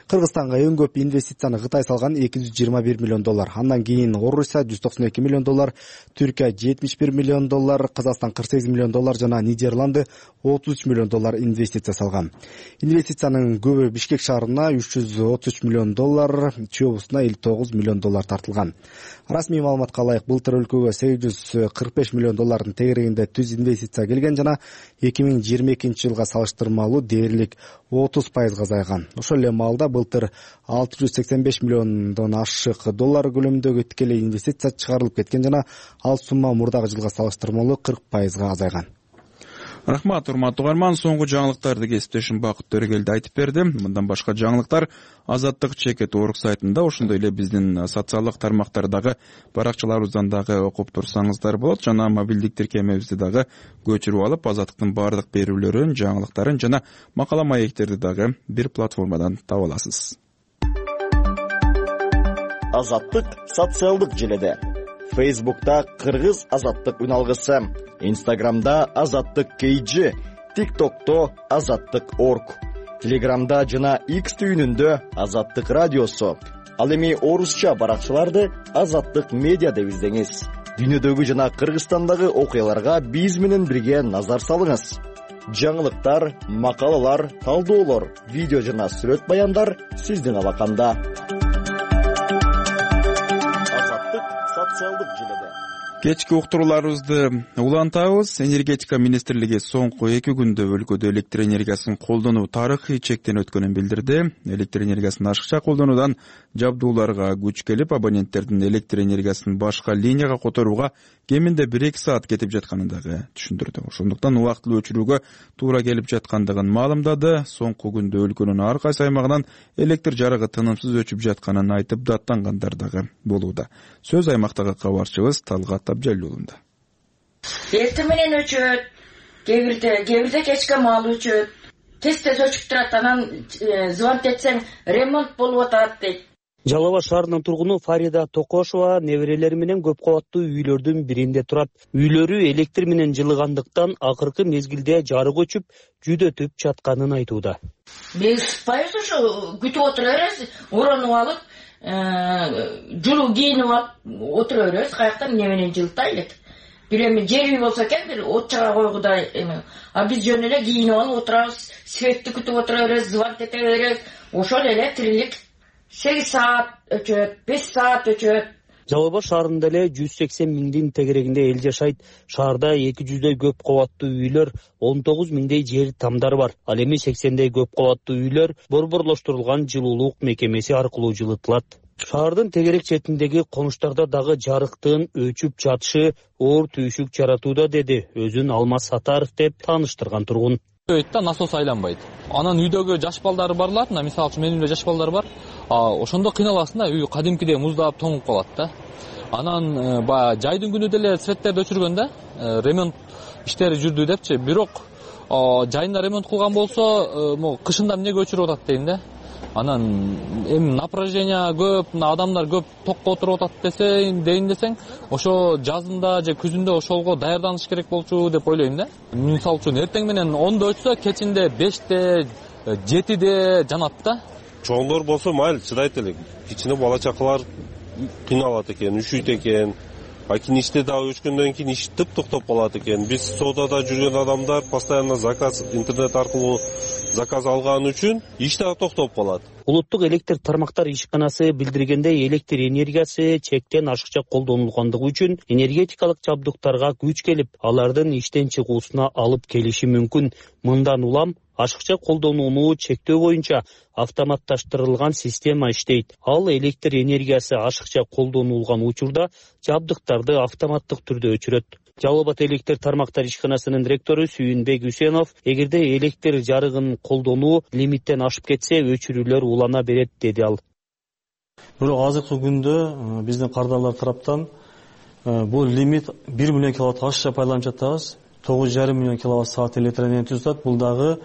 Кыргызстанга эң көп инвестицияны Кытай салган эки жүз жыйырма бир миллион доллар. Андан кийин Орусия жүз токсон эки миллион доллар, Түркия жетимиш бир миллион доллар, Казакстан кырк сегиз миллион доллар жана Нидерланды отуз үч миллион доллар инвестиция салган. Инвестициянын көбү Бишкек шаарына үч жүз отуз үч миллион доллар, Чүй облусуна элүү тогуз миллион доллар тартылган. Расмий маалыматка ылайык, былтыр өлкөгө сегиз жүз кырк беш миллион доллардын тегерегинде түз инвестиция келген жана эки миң жыйырма экинчи жылга салыштырмалуу дээрлик отуз пайызга азайган. Ошол эле маалда былтыр алты жүз сексен беш миллиондон ашык доллар көлөмүндөгү тикелей инвестиция чыгарылып кеткен жана ал сумма мурдагы жылга салыштырмалуу кырк пайызга азайган. Рахмат, урматтуу угарман. Соңку жаңылыктарды кесиптешим Бакыт Төрөгелди айтып берди. Мындан башка жаңылыктар Азаттык чекет орг сайтында, ошондой эле биздин социалдык тармактардагы баракчаларыбыздан дагы окуп турсаңыздар болот. Жана мобилдик тиркемебизди дагы көчүрүп алып, Азаттыктын баардык берүүлөрүн, жаңылыктарын жана макала маектерди дагы бир платформадан таба аласыз. Азаттык социалдык желеде. Фейсбукта Кыргыз Азаттык үналгысы, Инстаграмда Азаттык кейджи, ТикТокто Азаттык орг, Телеграмда жана X түйүнүндө Азаттык радиосу. Ал эми орусча баракчаларды Азаттык медиа деп издеңиз. Дүйнөдөгү жана Кыргызстандагы окуяларга биз менен бирге назар салыңыз. Жаңылыктар, макалалар, талдоолор, видео жана сүрөт баяндар сиздин алаканда. Социалдык желеде. Кечки уктурууларыбызды улантабыз. Энергетика министрлиги соңку эки күндө өлкөдө электр энергиясын колдонуу тарыхый чектен өткөнүн билдирди. Электр энергиясын ашыкча колдонуудан жабдууларга күч келип, абоненттердин электр энергиясын башка линияга которууга кеминде бир эки саат кетип жатканын дагы түшүндүрдү. Ошондуктан убактылуу өчүрүүгө туура келип жаткандыгын маалымдады. Соңку күндө өлкөнүн ар кайсы аймагынан электр жарыгы тынымсыз өчүп жатканын айтып, даттангандар дагы болууда. Сөз аймактагы кабарчыбыз Талгат Абжалуулунда. Эртең менен өчөт, кээ бирде, кээ бирде кечке маал өчөт. Тез-тез өчүп турат, анан звонок этсең ремонт болуп атат дейт. Жалал Абад шаарынын тургуну Фарида Токошова неберелери менен көп кабаттуу үйлөрдүн биринде турат. Үйлөрү электр менен жылыгандыктан акыркы мезгилде жарык өчүп, жүдөтүп жатканын айтууда. Биз пайыз ушу күтүп отура беребиз, оронуп алып, жылуу кийинип алып отура беребиз, каяктан эмне менен жылыта элек. Бир эми жер үй болсо экен, бир от чыга койгудай эме. А биз жөн эле кийинип алып отурабыз, светти күтүп отура беребиз, звонок эте беребиз. Ошол эле тирилик. сегиз саат өчөт, беш саат өчөт. Жалал Абад шаарында эле жүз сексен миңдин тегерегинде эл жашайт. Шаарда эки жүздөй көп кабаттуу үйлөр, он тогуз миңдей жер тамдар бар. Ал эми сексендей көп кабаттуу үйлөр борборлоштурулган жылуулук мекемеси аркылуу жылытылат. Шаардын тегерек четиндеги конуштарда дагы жарыктын өчүп жатышы оор түйшүк жаратууда, деди өзүн Алмаз Сатаров деп тааныштырган тургун. Да, насос айланбайт. Анан үйдөгү жаш балдары барлар, мисалы үчүн менин үйдө жаш балдар бар. Ошондо кыйналасың да, үй кадимкидей муздап тоңуп калат да. Анан баягы жайдын күнү деле светтерди өчүргөндө ремонт иштери жүрдү депчи, бирок жайында ремонт кылган болсо, могу кышында эмнеге өчүрүп атат дейм да. Анан эми напряжение көп, адамдар көп токко отуруп атат десең, дейин десең, ошо жазында же күзүндө ошолго даярданыш керек болчу деп ойлойм да. Мисалы үчүн эртең менен ондо өчсө, кечинде беште, жетиде жанат да. Чоңдор болсо майыл чыдайт элек. Кичине бала чакалар кыйналат экен, үшүйт экен. а кийин иште дагы өчкөндөн кийин иш тып токтоп калат экен. Биз соодада жүргөн адамдар постоянно заказ интернет аркылуу заказ алган үчүн иш дагы токтоп калат. Улуттук электр тармактар ишканасы билдиргендей, электр энергиясы чектен ашыкча колдонулгандыгы үчүн энергетикалык жабдыктарга күч келип, алардын иштен чыгуусуна алып келиши мүмкүн. Мындан улам ашыкча колдонууну чектөө боюнча автоматташтырылган система иштейт. Ал электр энергиясы ашыкча колдонулган учурда жабдыктарды автоматтык түрдө өчүрөт. Жалал Абад электр тармактар ишканасынын директору Сүйүнбек Үсенов эгерде электр жарыгын колдонуу лимиттен ашып кетсе, өчүрүүлөр улана берет, деди ал. Бирок азыркы күндө биздин кардарлар тараптан бул лимит бир миллион киловатт ашыкча пайдаланып жатабыз. тогуз жарым миллион киловатт саат электр энергия түзүп. Бул дагы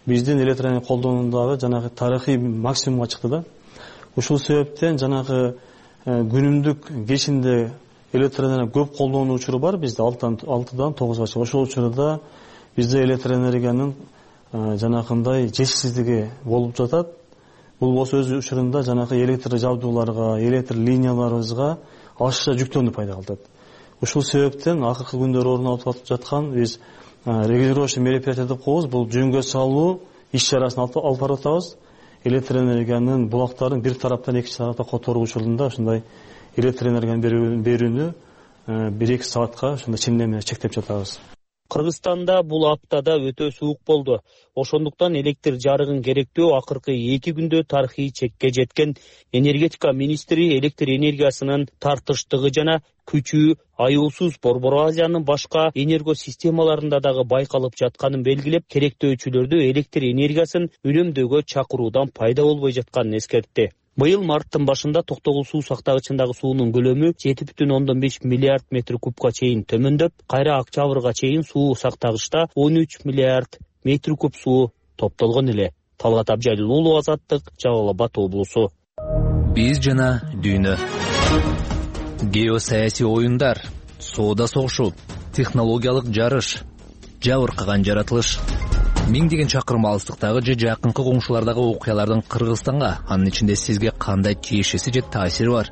биздин электр энергия колдонуудагы жанагы тарыхый максимумга чыкты да. Ушул себептен жанагы күнүмдүк кечинде электр энергия көп колдонуу учуру бар бизде алтыдан тогузга чейин. Ошол учурда бизде электр энергиянын жанагындай жетишсиздиги болуп жатат. Бул болсо өз учурунда жанагы электр жабдууларга, электр линияларыбызга ашыкча жүктөөнү пайда кылат. Ушул себептен акыркы күндөр орун алып жаткан биз регулировочный мероприятие деп коебуз. Бул жөнгө салуу иш чарасын алып барып атабыз. Электр энергиянын булактарын бир тараптан экинчи тарапка которуу учурунда ушундай электр энергиянын берүүнү бир эки саатка ушундай ченеме менен чектеп жатабыз. Кыргызстанда бул аптада өтө суук болду. Ошондуктан электр жарыгын керектөө акыркы эки күндө тарыхый чекке жеткен. Энергетика министри электр энергиясынын тартыштыгы жана күчү аюусуз Борбор Азиянын башка энергосистемаларында дагы байкалып жатканын белгилеп, керектөөчүлөрдү электр энергиясын үнөмдөөгө чакыруудан пайда болбой жатканын эскертти. Быйыл марттын башында Токтогул суу сактагычындагы суунун көлөмү жети бүтүн ондон беш миллиард метр кубка чейин төмөндөп, кайра октябрга чейин суу сактагычта он үч миллиард метр куб суу топтолгон эле. Талгат Абжалил уулу, Азаттык, Жалал Абад облусу. Биз жана дүйнө. Геосаясий оюндар, соода согушу, технологиялык жарыш, жабыркаган жаратылыш. Миңдеген чакырым алыстыктагы же жакынкы коңшулардагы окуялардын Кыргызстанга, анын ичинде сизге кандай тиешеси же таасири бар?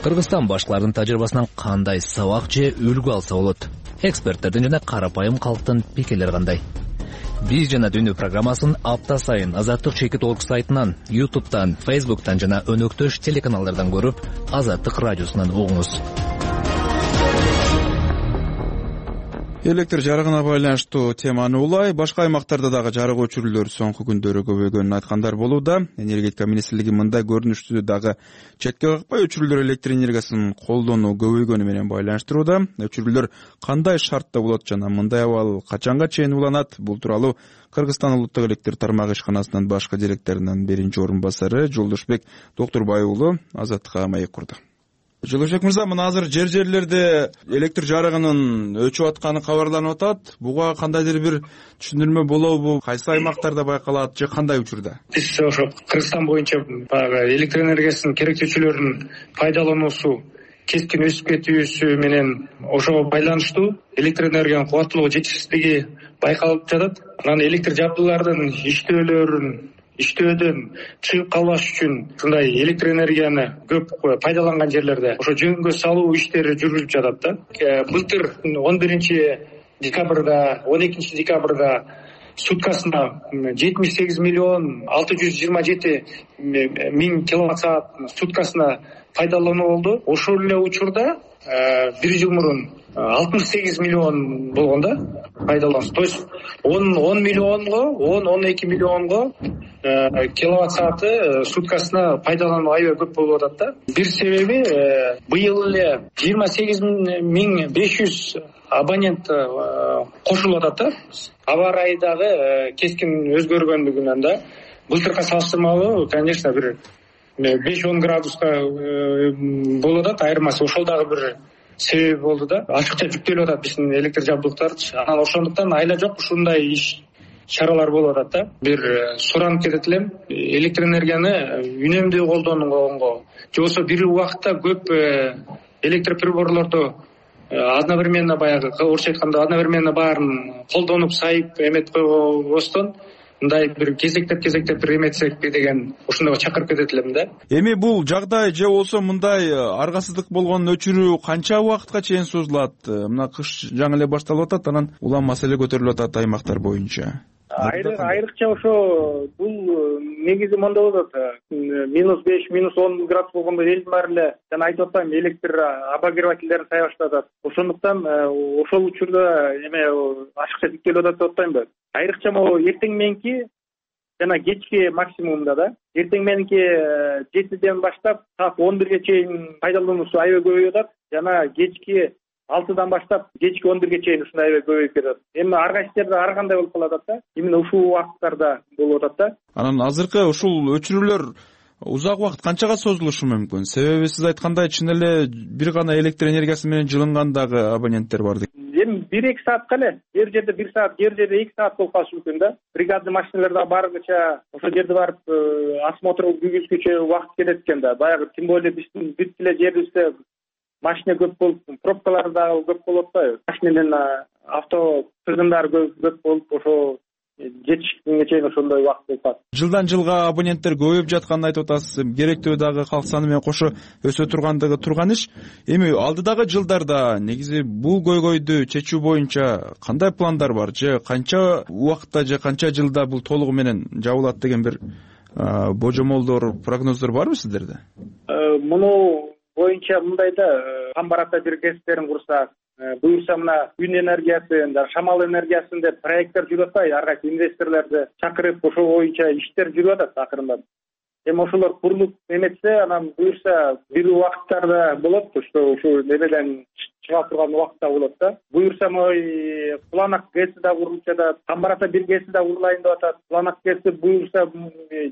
Кыргызстан башкалардын тажрыйбасынан кандай сабак же үлгү алса болот? Эксперттердин жана карапайым калктын пикирлери кандай? Биз жана дүйнө программасын апта сайын Азаттык чекит орг сайтынан, ютубтан, фейсбуктан жана өнөктөш телеканалдардан көрүп, Азаттык радиосунан угуңуз. Электр жарыгына байланыштуу теманы улай, башка аймактарда дагы жарык өчүрүүлөр соңку күндөрү көбөйгөнүн айткандар болууда. Энергетика министрлиги мындай көрүнүштү дагы четке какпай өчүрүүлөр электр энергиясын колдонуу көбөйгөнү менен байланыштырууда. Өчүрүүлөр кандай шартта болот жана мындай абал качанга чейин уланат? Бул тууралуу Кыргызстан улуттук электр тармагы ишканасынын башкы директорунун биринчи орун басары Жолдошбек Доктурбай уулу Азаттыкка маек курду. Жолдошбек мырза, мына азыр жер жерлерде электр жарыгынын өчүп атканы кабарланып атат. Буга кандайдыр бир түшүндүрмө болобу? Кайсы аймактарда байкалат же кандай учурда? Биз ошо Кыргызстан боюнча баягы электр энергиясынын керектөөчүлөрүнүн пайдалануусу кескин өсүп кетүүсү менен ошого байланыштуу электр энергиянын кубаттуулугу жетишсиздиги байкалып жатат. Анан электр жабдуулардын иштөөлөрүн иштөөдөн чыгып калбаш үчүн ушундай электр энергияны көп пайдаланган жерлерде ошо жөнгө салуу иштери жүргүзүлүп жатат да. Былтыр он биринчи декабрда, он экинчи декабрда суткасына жетимиш сегиз миллион алты жүз жыйырма жети миң киловатт саат суткасына пайдалануу болду. Ошол эле учурда бир жыл мурун алтымыш сегиз миллион болгон да пайдалануу. То есть он миллионго, он эки миллионго киловатт сааты суткасына пайдалануу аябай көп болуп атат да. Бир себеби быйыл эле жыйырма сегиз миң беш жүз абонент кошулуп атат да. Аба ырайы дагы кескин өзгөргөндүгүнөн да былтыркы салыштырмалуу, конечно, бир беш он градуска болуп атат. Айырмасы ошол дагы бир себеби болду да. Ашыкча жүктөлүп атат биздин электр жабдыктарчы. Анан ошондуктан айла жок ушундай иш чаралар болуп атат да. Бир суранып кетет элем, электр энергияны үнөмдүү колдонгонго же болбосо бир убакытта көп электр приборлорду одновременно баягы орусча айтканда одновременно баарын колдонуп сайып эметип койбостон мындай бир кезектеп кезектеп бир эметсекпи деген ошондойго чакырып кетет элем да. Эми бул жагдай же болбосо мындай аргасыздык болгонун өчүрүү канча убакытка чейин созулат? Мына кыш жаңы эле башталып атат, анан улам маселе көтөрүлүп атат аймактар боюнча. Айрыкча ошо бул негизи мондай болот, минус беш минус он градус болгондо элдин баары эле жана айтып атпаймынбы, электр обогревательдерин сая баштатат. Ошондуктан ошол учурда эме ашыкча тиктелип атат деп атпаймынбы. Айрыкча могу эртең мененки жана кечки максимумда да, эртең мененки жетиден баштап саат он бирге чейин пайдалануусу аябай көбөйүп атат, жана кечки алтыдан баштап кечки он бирге чейин ушундай аябай көбөйүп кетет. Эми ар кайсы жерде ар кандай болуп калат да, именно ушул убакыттарда болуп атат да. Анан азыркы ушул өчүрүүлөр узак убакыт канчага созулушу мүмкүн? Себеби сиз айткандай чын эле бир гана электр энергиясы менен жылынган дагы абоненттер бар. Эми бир эки саатка эле, бир жерде бир саат, бир жерде эки саат болуп калышы мүмкүн да. Бригадный машиналар да баргыча ошол жерде барып осмотр жүргүзгүчө убакыт кетет экен да. Баягы тем более биздин бүт эле жерибизде машина көп болуп, пробкалар дагы көп болуп атпайбы? Машина менен авто тыгындары көп болуп, ошо жетишкенге чейин ошондой убакыт болуп калат. Жылдан жылга абоненттер көбөйүп жатканын айтып атасыз. Керектөө дагы калк саны менен кошо өсө тургандыгы турган иш. Эми алдыдагы жылдарда негизи бул көйгөйдү чечүү боюнча кандай пландар бар? Же канча убакытта же канча жылда бул толугу менен жабылат деген бир божомолдор, прогноздор барбы сиздерде? Муну боюнча мындай да, Камбарата бир кесиптерин курсак, буюрса мына күн энергиясы, шамал энергиясын деп проекттер жүрүп атпайбы, ар кайсы инвесторлорду чакырып, ошол боюнча иштер жүрүп атат акырындап. Эми ошолор курулуп эметсе, анан буюрса бир убакыттарда болот, что ушул немеден чыга турган убакытта болот да. Буюрса мой Куланак ГЭСи да курулуп жатат, Камбарата бир ГЭСи да курулайын деп атат. Куланак ГЭСи буюрса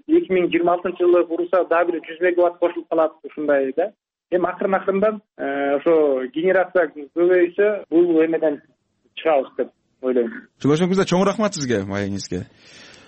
эки миң жыйырма алтынчы жылы курулса дагы бир жүз мегаватт кошулуп калат, ушундай да. Эми акырын акырындан ошо генерация көбөйсө бул эмеден чыгабыз деп ойлойм. Жолдошуңузга чоң рахмат сизге, маегиңизге.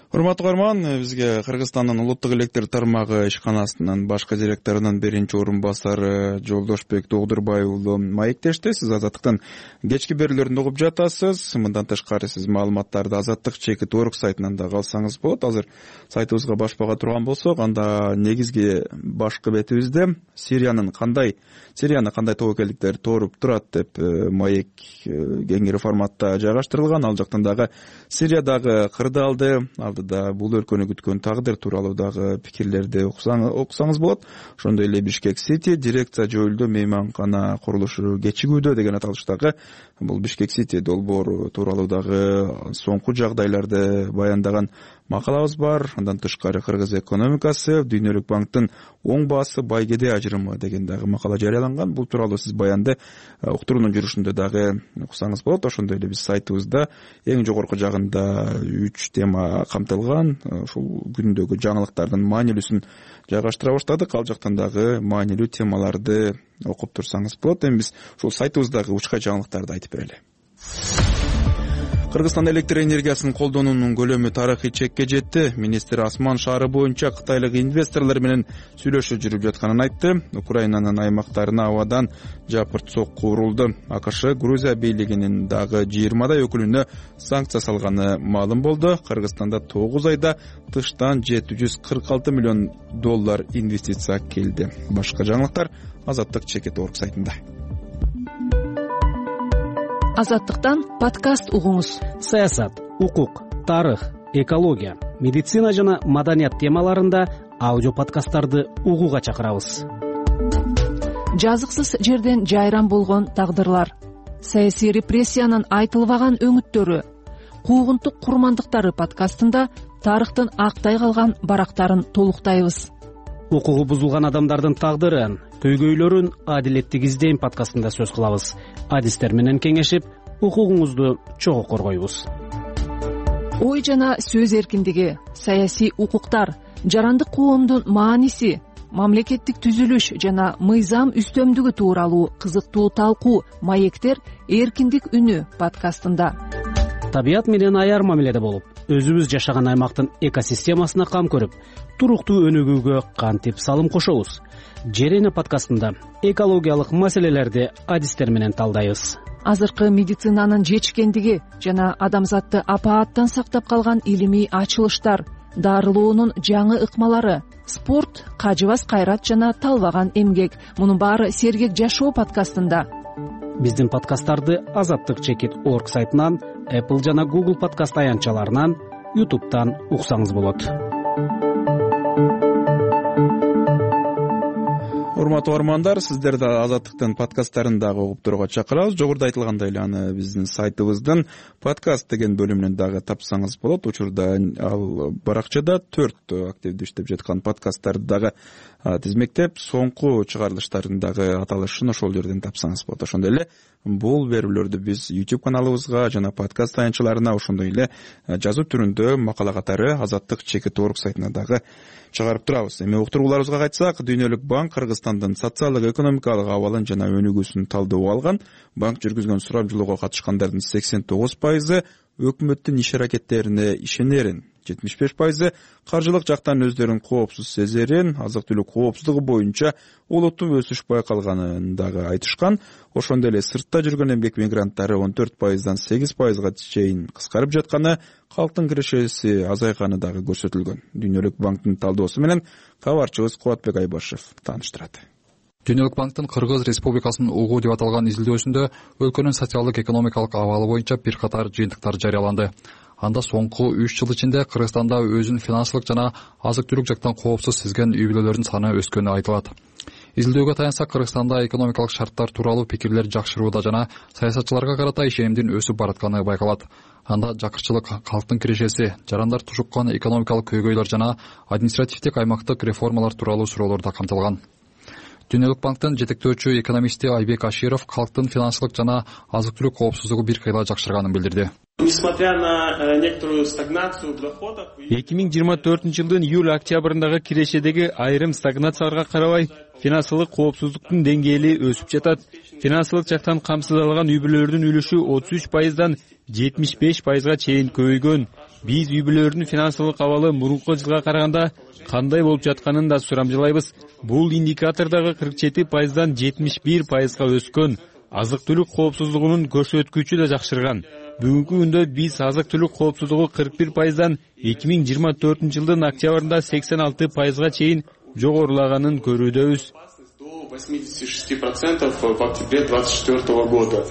Урматтуу көрөрман, бизге Кыргызстандын улуттук электр тармагы ишканасынын башкы директорунун биринчи орун басары Жолдошбек Догдурбай уулу маектешти. Сиз Азаттыктын кечки берүүлөрүн угуп жатасыз. Мындан тышкары сиз маалыматтарды Азаттык чекит орг сайтынан да алсаңыз болот. Азыр сайтыбызга башпага турган болсок, анда негизги башкы бетибизде Сириянын кандай Сирияны кандай тобокелдиктер тооруп турат деп маек кеңири форматта жайгаштырылган. Ал жактан дагы Сириядагы кырдаалды, алдыда бул өлкөнү күткөн тагдыр тууралуу дагы пикирлерди окусаңыз болот. Ошондой эле Бишкек Сити дирекция жоюлду, мейманкана курулушу кечигүүдө деген аталыштагы бул Бишкек Сити долбоору тууралуу дагы соңку жагдайларды баяндаган макалабыз бар. Андан тышкары Кыргыз экономикасы, Дүйнөлүк банктын оң баасы байгеде ажырымы деген дагы макала жарыяланган. Бул тууралуу сиз баянды уктуруунун жүрүшүндө дагы окусаңыз болот. Ошондой эле биз сайтыбызда эң жогорку жагында үч тема камтылган. Ушул күндөгү жаңылыктардын маанилүүсүн жайгаштыра баштадык. Ал жактан дагы маанилүү темаларды окуп турсаңыз болот. Эми биз ушул сайтыбыздагы учка жаңылыктарды айтып берели. Кыргызстан электр энергиясын колдонуунун көлөмү тарыхый чекке жетти. Министр Асман шаары боюнча кытайлык инвесторлор менен сүйлөшүү жүрүп жатканын айтты. Украинанын аймактарына абадан жапырт сокку урулду. АКШ Грузия бийлигинин дагы жыйырмадай өкүлүнө санкция салганы маалым болду. Кыргызстанда тогуз айда тыштан жети жүз кырк алты миллион доллар инвестиция келди. Башка жаңылыктар Азаттык чекит орг сайтында. Азаттыктан подкаст угуңуз. Саясат, укук, тарых, экология, медицина жана маданият темаларында аудио подкасттарды угууга чакырабыз. Жазыксыз жерден жайран болгон тагдырлар, саясий репрессиянын айтылбаган өңүттөрү, куугунтук курмандыктары подкастында тарыхтын актай калган барактарын толуктайбыз. Укугу бузулган адамдардын тагдырын, көйгөйлөрүн адилеттик издейм подкастында сөз кылабыз. Адистер менен кеңешип, укугуңузду чогуу коргойбуз. Ой жана сөз эркиндиги, саясий укуктар, жарандык коомдун мааниси, мамлекеттик түзүлүш жана мыйзам үстөмдүгү тууралуу кызыктуу талкуу маектер эркиндик үнү подкастында. Табият менен аяр мамиледе болуп, өзүбүз жашаган аймактын экосистемасына кам көрүп, туруктуу өнүгүүгө кантип салым кошобуз? Жерене подкастында экологиялык маселелерди адистер менен талдайбыз. азыркы медицинанын жетишкендиги жана адамзатты апааттан сактап калган илимий ачылыштар, дарылоонун жаңы ыкмалары, спорт, кажыбас кайрат жана талбаган эмгек. Мунун баары Сергек жашоо подкастында. Биздин подкасттарды азаттык чекит точка орг сайтынан, Apple жана Google подкаст аянтчаларынан, YouTube'дан уксаңыз болот. Урматтуу угармандар, сиздерди Азаттыктын подкасттарын дагы угуп турууга чакырабыз. Жогоруда айтылгандай эле аны биздин сайтыбыздын подкаст деген бөлүмүнөн дагы тапсаңыз болот. Учурда ал баракчада төрт активдүү иштеп жаткан подкасттарды дагы тизмектеп, соңку чыгарылыштардын дагы аталышын ошол жерден тапсаңыз болот. Ошондой эле бул берүүлөрдү биз YouTube каналыбызга жана подкаст аянтчаларына, ошондой эле жазуу түрүндө макала катары азаттык чекит точка орг сайтына дагы чыгарып турабыз. Эми уктурууларыбызга кайтсак, Дүйнөлүк банк Кыргызстандын социалдык экономикалык абалын жана өнүгүүсүн талдоого алган. Банк жүргүзгөн сурамжылоого катышкандардын сексен тогуз пайызы өкмөттүн иш аракеттерине ишенерин, жетимиш беш пайызы каржылык жактан өздөрүн коопсуз сезерин, азык-түлүк коопсуздугу боюнча олуттуу өсүш байкалганын дагы айтышкан. Ошондой эле сыртта жүргөн эмгек мигранттары он төрт пайыздан сегиз пайызга чейин кыскарып жатканы, калктын кирешеси азайганы дагы көрсөтүлгөн. Дүйнөлүк банктын талдоосу менен кабарчыбыз Кубатбек Айбашев тааныштырат. Дүйнөлүк банктын Кыргыз Республикасынын угуу деп аталган изилдөөсүндө өлкөнүн социалдык экономикалык абалы боюнча бир катар жыйынтыктар жарыяланды. Анда соңку үч жыл ичинде Кыргызстанда өзүн финансылык жана азык-түлүк жактан коопсуз сезген үй бүлөлөрдүн саны өскөнү айтылат. Изилдөөгө таянсак, Кыргызстанда экономикалык шарттар тууралуу пикирлер жакшырууда жана саясатчыларга карата ишенимдин өсүп баратканы байкалат. Анда жакырчылык, калктын кирешеси, жарандар тушуккан экономикалык көйгөйлөр жана административдик аймактык реформалар тууралуу суроолор да камтылган. Дүйнөлүк банктын жетектөөчү экономисти Айбек Аширов калктын финансылык жана азык-түлүк коопсуздугу бир кыйла жакшырганын билдирди. Несмотря на некоторую стагнацию в доходах, эки миң жыйырма төртүнчү жылдын июль-октябрындагы кирешедеги айрым стагнацияларга карабай, финансылык коопсуздуктун деңгээли өсүп жатат. Финансылык жактан камсыз алган үй бүлөлөрдүн үлүшү отуз үч пайыздан жетимиш беш пайызга чейин көбөйгөн. Биз үй бүлөлөрдүн финансылык абалы мурунку жылга караганда кандай болуп жатканын да сурамжылайбыз. Бул индикатордагы кырк жети пайыздан жетимиш бир пайызга өскөн. Азык-түлүк коопсуздугунун көрсөткүчү да жакшырган. Бүгүнкү күндө биз азык-түлүк коопсуздугу кырк бир пайыздан эки миң жыйырма төртүнчү жылдын октябрында сексен алты пайызга чейин жогорулаганын көрүүдөбүз. восемьдесят шесть процентов в октябре двадцать четвёртого года.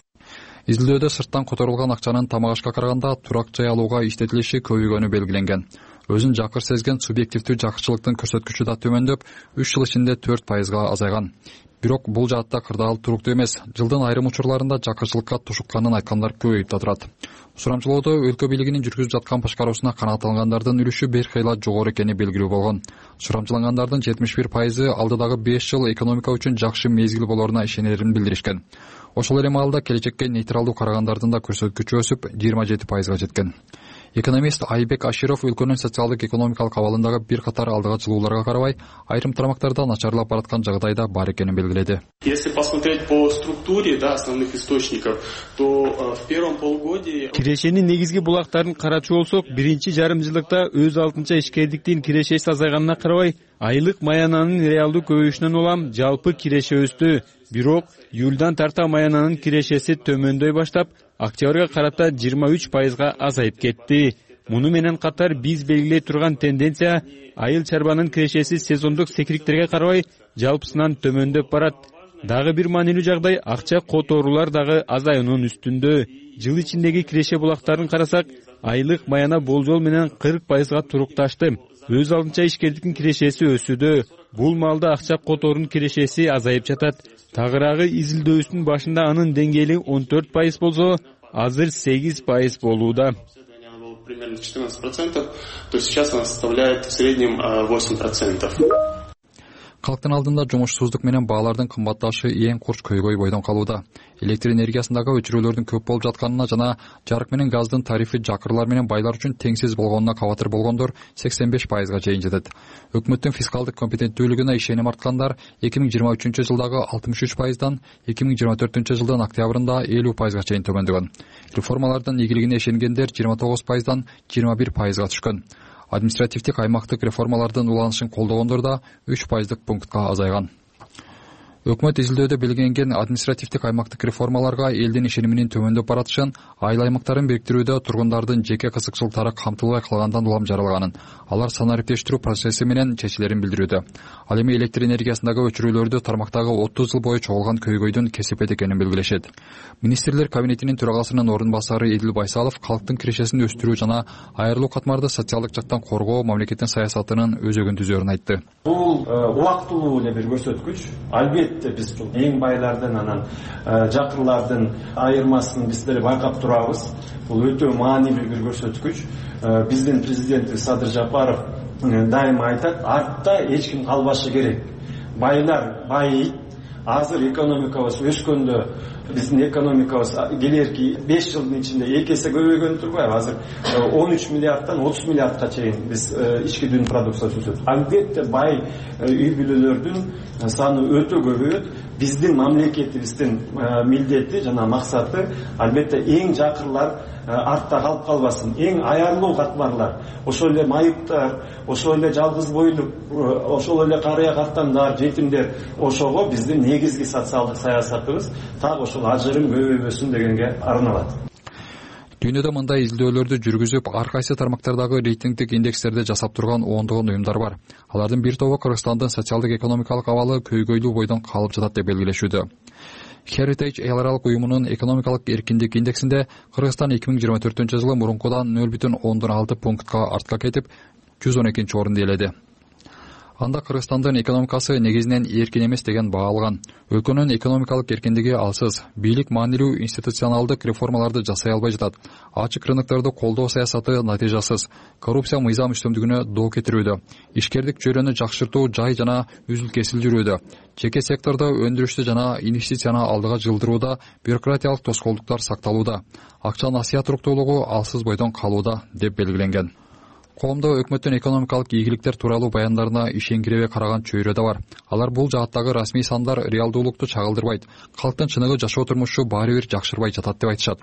Изилдөөдө сырттан которулган акчанын тамак ашка караганда турак жай алууга иштетилиши көбөйгөнү белгиленген. Өзүн жакыр сезген субъективдүү жакырчылыктын көрсөткүчү да төмөндөп, үч жыл ичинде төрт пайызга азайган. Бирок бул жаатта кырдаал туруктуу эмес. Жылдын айрым учурларында жакырчылыкка тушукканын айткандар көбөйүп да турат. Сурамжылоодо өлкө бийлигинин жүргүзүп жаткан башкаруусуна канааттангандардын үлүшү бир кыйла жогору экени белгилүү болгон. Сурамжылангандардын жетимиш бир пайызы алдыдагы беш жыл экономика үчүн жакшы мезгил болоруна ишенерин билдиришкен. Ошол эле маалда келечекке нейтралдуу карагандардын да көрсөткүчү өсүп жыйырма жети пайызга жеткен. Экономист Айбек Аширов өлкөнүн социалдык экономикалык абалындагы бир катар алдыга жылууларга карабай, айрым тармактарда начарлап бараткан жагдайда бар экенин белгиледи. Если посмотреть по структуре, да, основных источников, то в первом полугодии кирешенин негизги булактарын карачу болсок, биринчи жарым жылдыкта өз алдынча ишкердиктин кирешеси азайганына карабай, айлык маянанын реалдуу көбөйүшүнөн улам жалпы киреше өстү. Бирок июлдан тарта маянанын кирешеси төмөндөй баштап, октябрга карата жыйырма үч пайызга азайып кетти. Муну менен катар биз белгилей турган тенденция айыл чарбанын кирешеси сезондук секириктерге карабай жалпысынан төмөндөп барат. Дагы бир маанилүү жагдай акча которуулар дагы азаюунун үстүндө. Жыл ичиндеги киреше булактарын карасак, айлык маяна болжол менен кырк пайызга турукташты. Өз алдынча ишкердиктин кирешеси өсүүдө. Бул маалда акча которунун кирешеси азайып жатат. Тагыраагы изилдөөсүнүн башында анын деңгээли он төрт пайыз болсо, азыр сегиз пайыз болууда. Примерно четырнадцать процентов, то сейчас она составляет в среднем восемь процентов. Калктын алдында жумушсуздук менен баалардын кымбатташы эң курч көйгөй бойдон калууда. Электр энергиясындагы өчүрүүлөрдүн көп болуп жатканына жана жарык менен газдын тарифи жакырлар менен байлар үчүн теңсиз болгонуна кабатыр болгондор сексен беш пайызга чейин жетет. Өкмөттүн фискалдык компетенттүүлүгүнө ишеним арткандар эки миң жыйырма үчүнчү жылдагы алтымыш үч пайыздан эки миң жыйырма төртүнчү жылдын октябрында элүү пайызга чейин төмөндөгөн. Реформалардын ийгилигине ишенгендер жыйырма тогуз пайыздан жыйырма бир пайызга түшкөн. Административдик аймактык реформалардын уланышын колдогондор да үч пайыздык пунктка азайган. Өкмөт изилдөөдө белгиленген административдик аймактык реформаларга элдин ишениминин төмөндөп баратышын, айыл аймактарын бириктирүүдө тургундардын жеке кызыкчылыктары камтылбай калгандан улам жаралганын, алар санариптештирүү процесси менен чечилерин билдирүүдө. Ал эми электр энергиясындагы өчүрүүлөрдү тармактагы отуз жыл бою чогулган көйгөйдүн кесепет экенин белгилешет. Министрлер кабинетинин төрагасынын орун басары Эдил Байсалов калктын кирешесин өстүрүү жана айрылуу катмарды социалдык жактан коргоо мамлекеттин саясатынын өзөгүн түзөөрүн айтты. Бул убактылуу эле бир көрсөткүч. Албетте биз эң байлардын анан жакырлардын айырмасын биз деле байкап турабыз. Бул өтө маанилүү бир көрсөткүч. Биздин президентибиз Садыр Жапаров дайыма айтат, артта эч ким калбашы керек. Байлар байыйт. Азыр экономикабыз өскөндө биздин экономикабыз келерки беш жылдын ичинде эки эсе көбөйгөн турбайбы? Азыр он үч миллиарддан отуз миллиардка чейин биз ички дүн продукциясы өсөт. Албетте бай үй бүлөлөрдүн саны өтө көбөйөт. Биздин мамлекетибиздин милдети жана максаты албетте эң жакырлар артта калып калбасын, эң аярлуу катмарлар, ошол эле майыптар, ошол эле жалгыз бойлук, ошол эле карыя картандар, жетимдер, ошого биздин негизги социалдык саясатыбыз так ошол ажырым көбөйбөсүн дегенге арналат. Дүйнөдө мындай изилдөөлөрдү жүргүзүп, ар кайсы тармактардагы рейтингдик индекстерди жасап турган ондогон уюмдар бар. Алардын бир тобу Кыргызстандын социалдык экономикалык абалы көйгөйлүү бойдон калып жатат деп белгилешүүдө. Heritage эл аралык уюмунун экономикалык эркиндик индексинде Кыргызстан эки миң жыйырма төртүнчү жылы мурункудан нөл бүтүн ондон алты пунктка артка кетип, жүз он экинчи орунду ээледи. Анда Кыргызстандын экономикасы негизинен эркин эмес деген баа алган. Өлкөнүн экономикалык эркиндиги алсыз, бийлик маанилүү институционалдык реформаларды жасай албай жатат. Ачык рынокторду колдоо саясаты натыйжасыз, коррупция мыйзам үстөмдүгүнө доо кетирүүдө, ишкердик чөйрөнү жакшыртуу жай жана үзүл кесил жүрүүдө, жеке сектордо өндүрүштү жана инвестицияны алдыга жылдырууда бюрократиялык тоскоолдуктар сакталууда, акча насыят уруктуулугу алсыз бойдон калууда деп белгиленген. Коомдо өкмөттүн экономикалык ийгиликтер тууралуу баяндарына ишенгиребей караган чөйрө да бар. Алар бул жааттагы расмий сандар реалдуулукту чагылдырбайт. Калктын чыныгы жашоо турмушу баары бир жакшырбай жатат деп айтышат.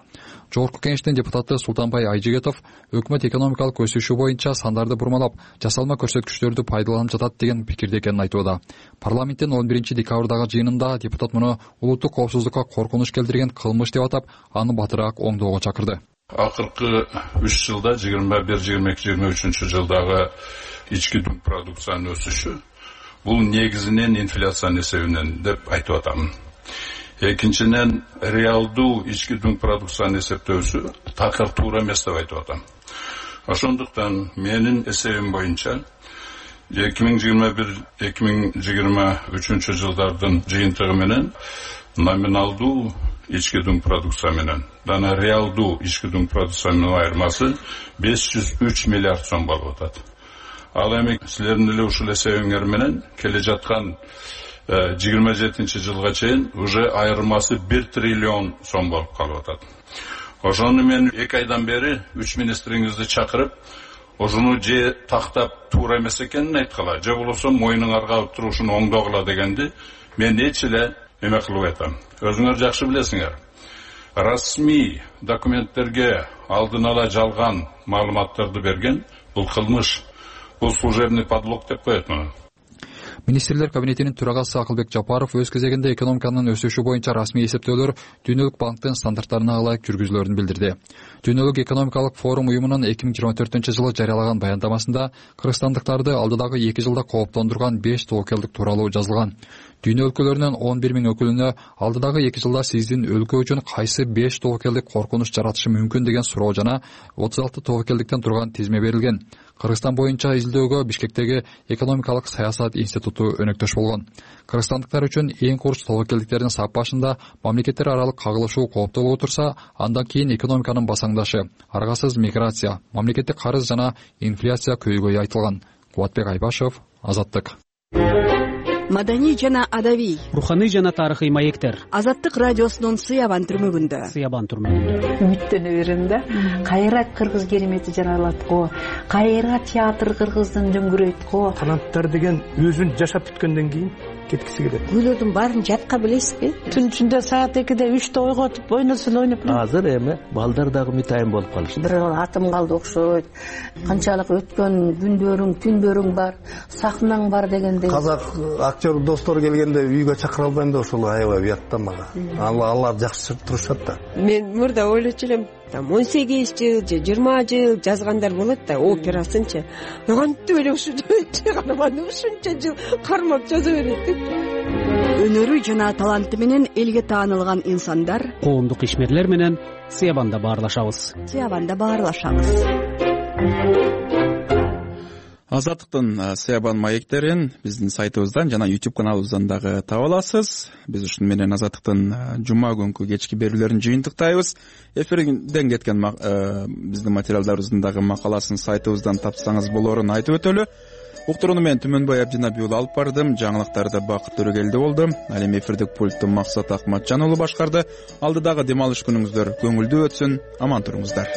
Жогорку Кеңештин депутаты Султанбай Айжигетов өкмөт экономикалык өсүшү боюнча сандарды бурмалап, жасалма көрсөткүчтөрдү пайдаланып жатат деген пикирде экенин айтууда. Парламенттин он биринчи декабрдагы жыйынында депутат муну улуттук коопсуздукка коркунуч келтирген кылмыш деп атап, аны батыраак оңдоого чакырды. Акыркы үч жылда жыйырма бир жыйырма эки жыйырма үчүнчү жылдагы ички дүң продукциянын өсүшү бул негизинен инфляциянын эсебинен деп айтып атам. Экинчиден реалдуу ички дүң продукциянын эсептөөсү такыр туура эмес деп айтып атам. Ошондуктан менин эсебим боюнча эки миң жыйырма бир эки миң жыйырма үчүнчү жылдардын жыйынтыгы менен номиналдуу ички дүң продукция менен жана реалдуу ички дүң продукциянын айырмасы беш жүз үч миллиард сом болуп атат. Ал эми силердин эле ушул эсебиңер менен келе жаткан жыйырма жетинчи жылга чейин уже айырмасы бир триллион сом болуп калып атат. Ошону мен эки айдан бери үч министриңизди чакырып, ошону же тактап туура эмес экенин айткыла, же болбосо мойнуңар калып туруп ушуну оңдогула дегенди мен эч эле эме кылып айтам. Өзүңөр жакшы билесиңер. Расмий документтерге алдын ала жалган маалыматтарды берген бул кылмыш. Бул служебный подлог деп коет муну. Министрлер кабинетинин төрагасы Акылбек Жапаров өз кезегинде экономиканын өсүшү боюнча расмий эсептөөлөр Дүйнөлүк банктын стандарттарына ылайык жүргүзүлөрүн билдирди. Дүйнөлүк экономикалык форум уюмунун эки миң жыйырма төртүнчү жылы жарыялаган баяндамасында кыргызстандыктарды алдыдагы эки жылда кооптондурган беш тобокелдик тууралуу жазылган. Дүйнө өлкөлөрүнүн он бир миң өкүлүнө алдыдагы эки жылда сиздин өлкө үчүн кайсы беш тобокелдик коркунуч жаратышы мүмкүн деген суроо жана отуз алты тобокелдиктен турган тизме берилген. Кыргызстан боюнча изилдөөгө Бишкектеги экономикалык саясат институту өнөктөш болгон. Кыргызстандыктар үчүн эң курч тобокелдиктердин саппашында мамлекеттер аралык кагылышуу кооптолуп турса, андан кийин экономиканын басаңдашы, аргасыз миграция, мамлекеттик карыз жана инфляция көйгөйү айтылган. Кубатбек Айбашев, Азаттык. Маданий жана адабий, руханий жана тарыхый маектер. Азаттык радиосунун Сыябан түрмөгүндө. Сыябан түрмөгүндө. Үмүттөнө берем да. Кайра кыргыз керемети жаралат го. Кайра театр кыргыздын дөңгүрөйт го. Канаттар деген өзүн жашап бүткөндөн кийин кеткиси келет. Күйлөрдүн баарын жатка билесизби? Түн ичинде саат экиде үчтө ойготуп ойносун ойноп. Азыр эми балдар дагы мытайын болуп калышты. Бир атым калды окшойт. Канчалык өткөн күндөрүң, түндөрүң бар, сахнаң бар дегендей. Казак актер достор келгенде үйгө чакыра албайм да ошол аябай уят да мага. Алар жакшы турушат да. Мен мурда ойлочу элем, там он сегиз жыл же жыйырма жыл жазгандар болот да, операсынчы. Кантип эле ушу чыгарманы ушунча жыл кармап жаза берет деп. Өнөрү жана таланты менен элге таанылган инсандар, коомдук ишмерлер менен Сыябанда баарлашабыз. Сыябанда баарлашабыз. Азаттыктын Сыябан маектерин биздин сайтыбыздан жана YouTube каналыбыздан дагы таба аласыз. Биз ушун менен Азаттыктын жума күнкү кечки берүүлөрүн жыйынтыктайбыз. Эфирден кеткен биздин материалдарыбыздын дагы макаласын сайтыбыздан тапсаңыз болорун айтып өтөлү. Уктурууну мен Түмөнбай Абдинабий уулу алып бардым. Жаңылыктарды Бакыт Төрөгелди болду. Ал эми эфирдик пультту Максат Акматжан уулу башкарды. Алдыдагы дем алыш күнүңүздөр көңүлдүү өтсүн. Аман туруңуздар.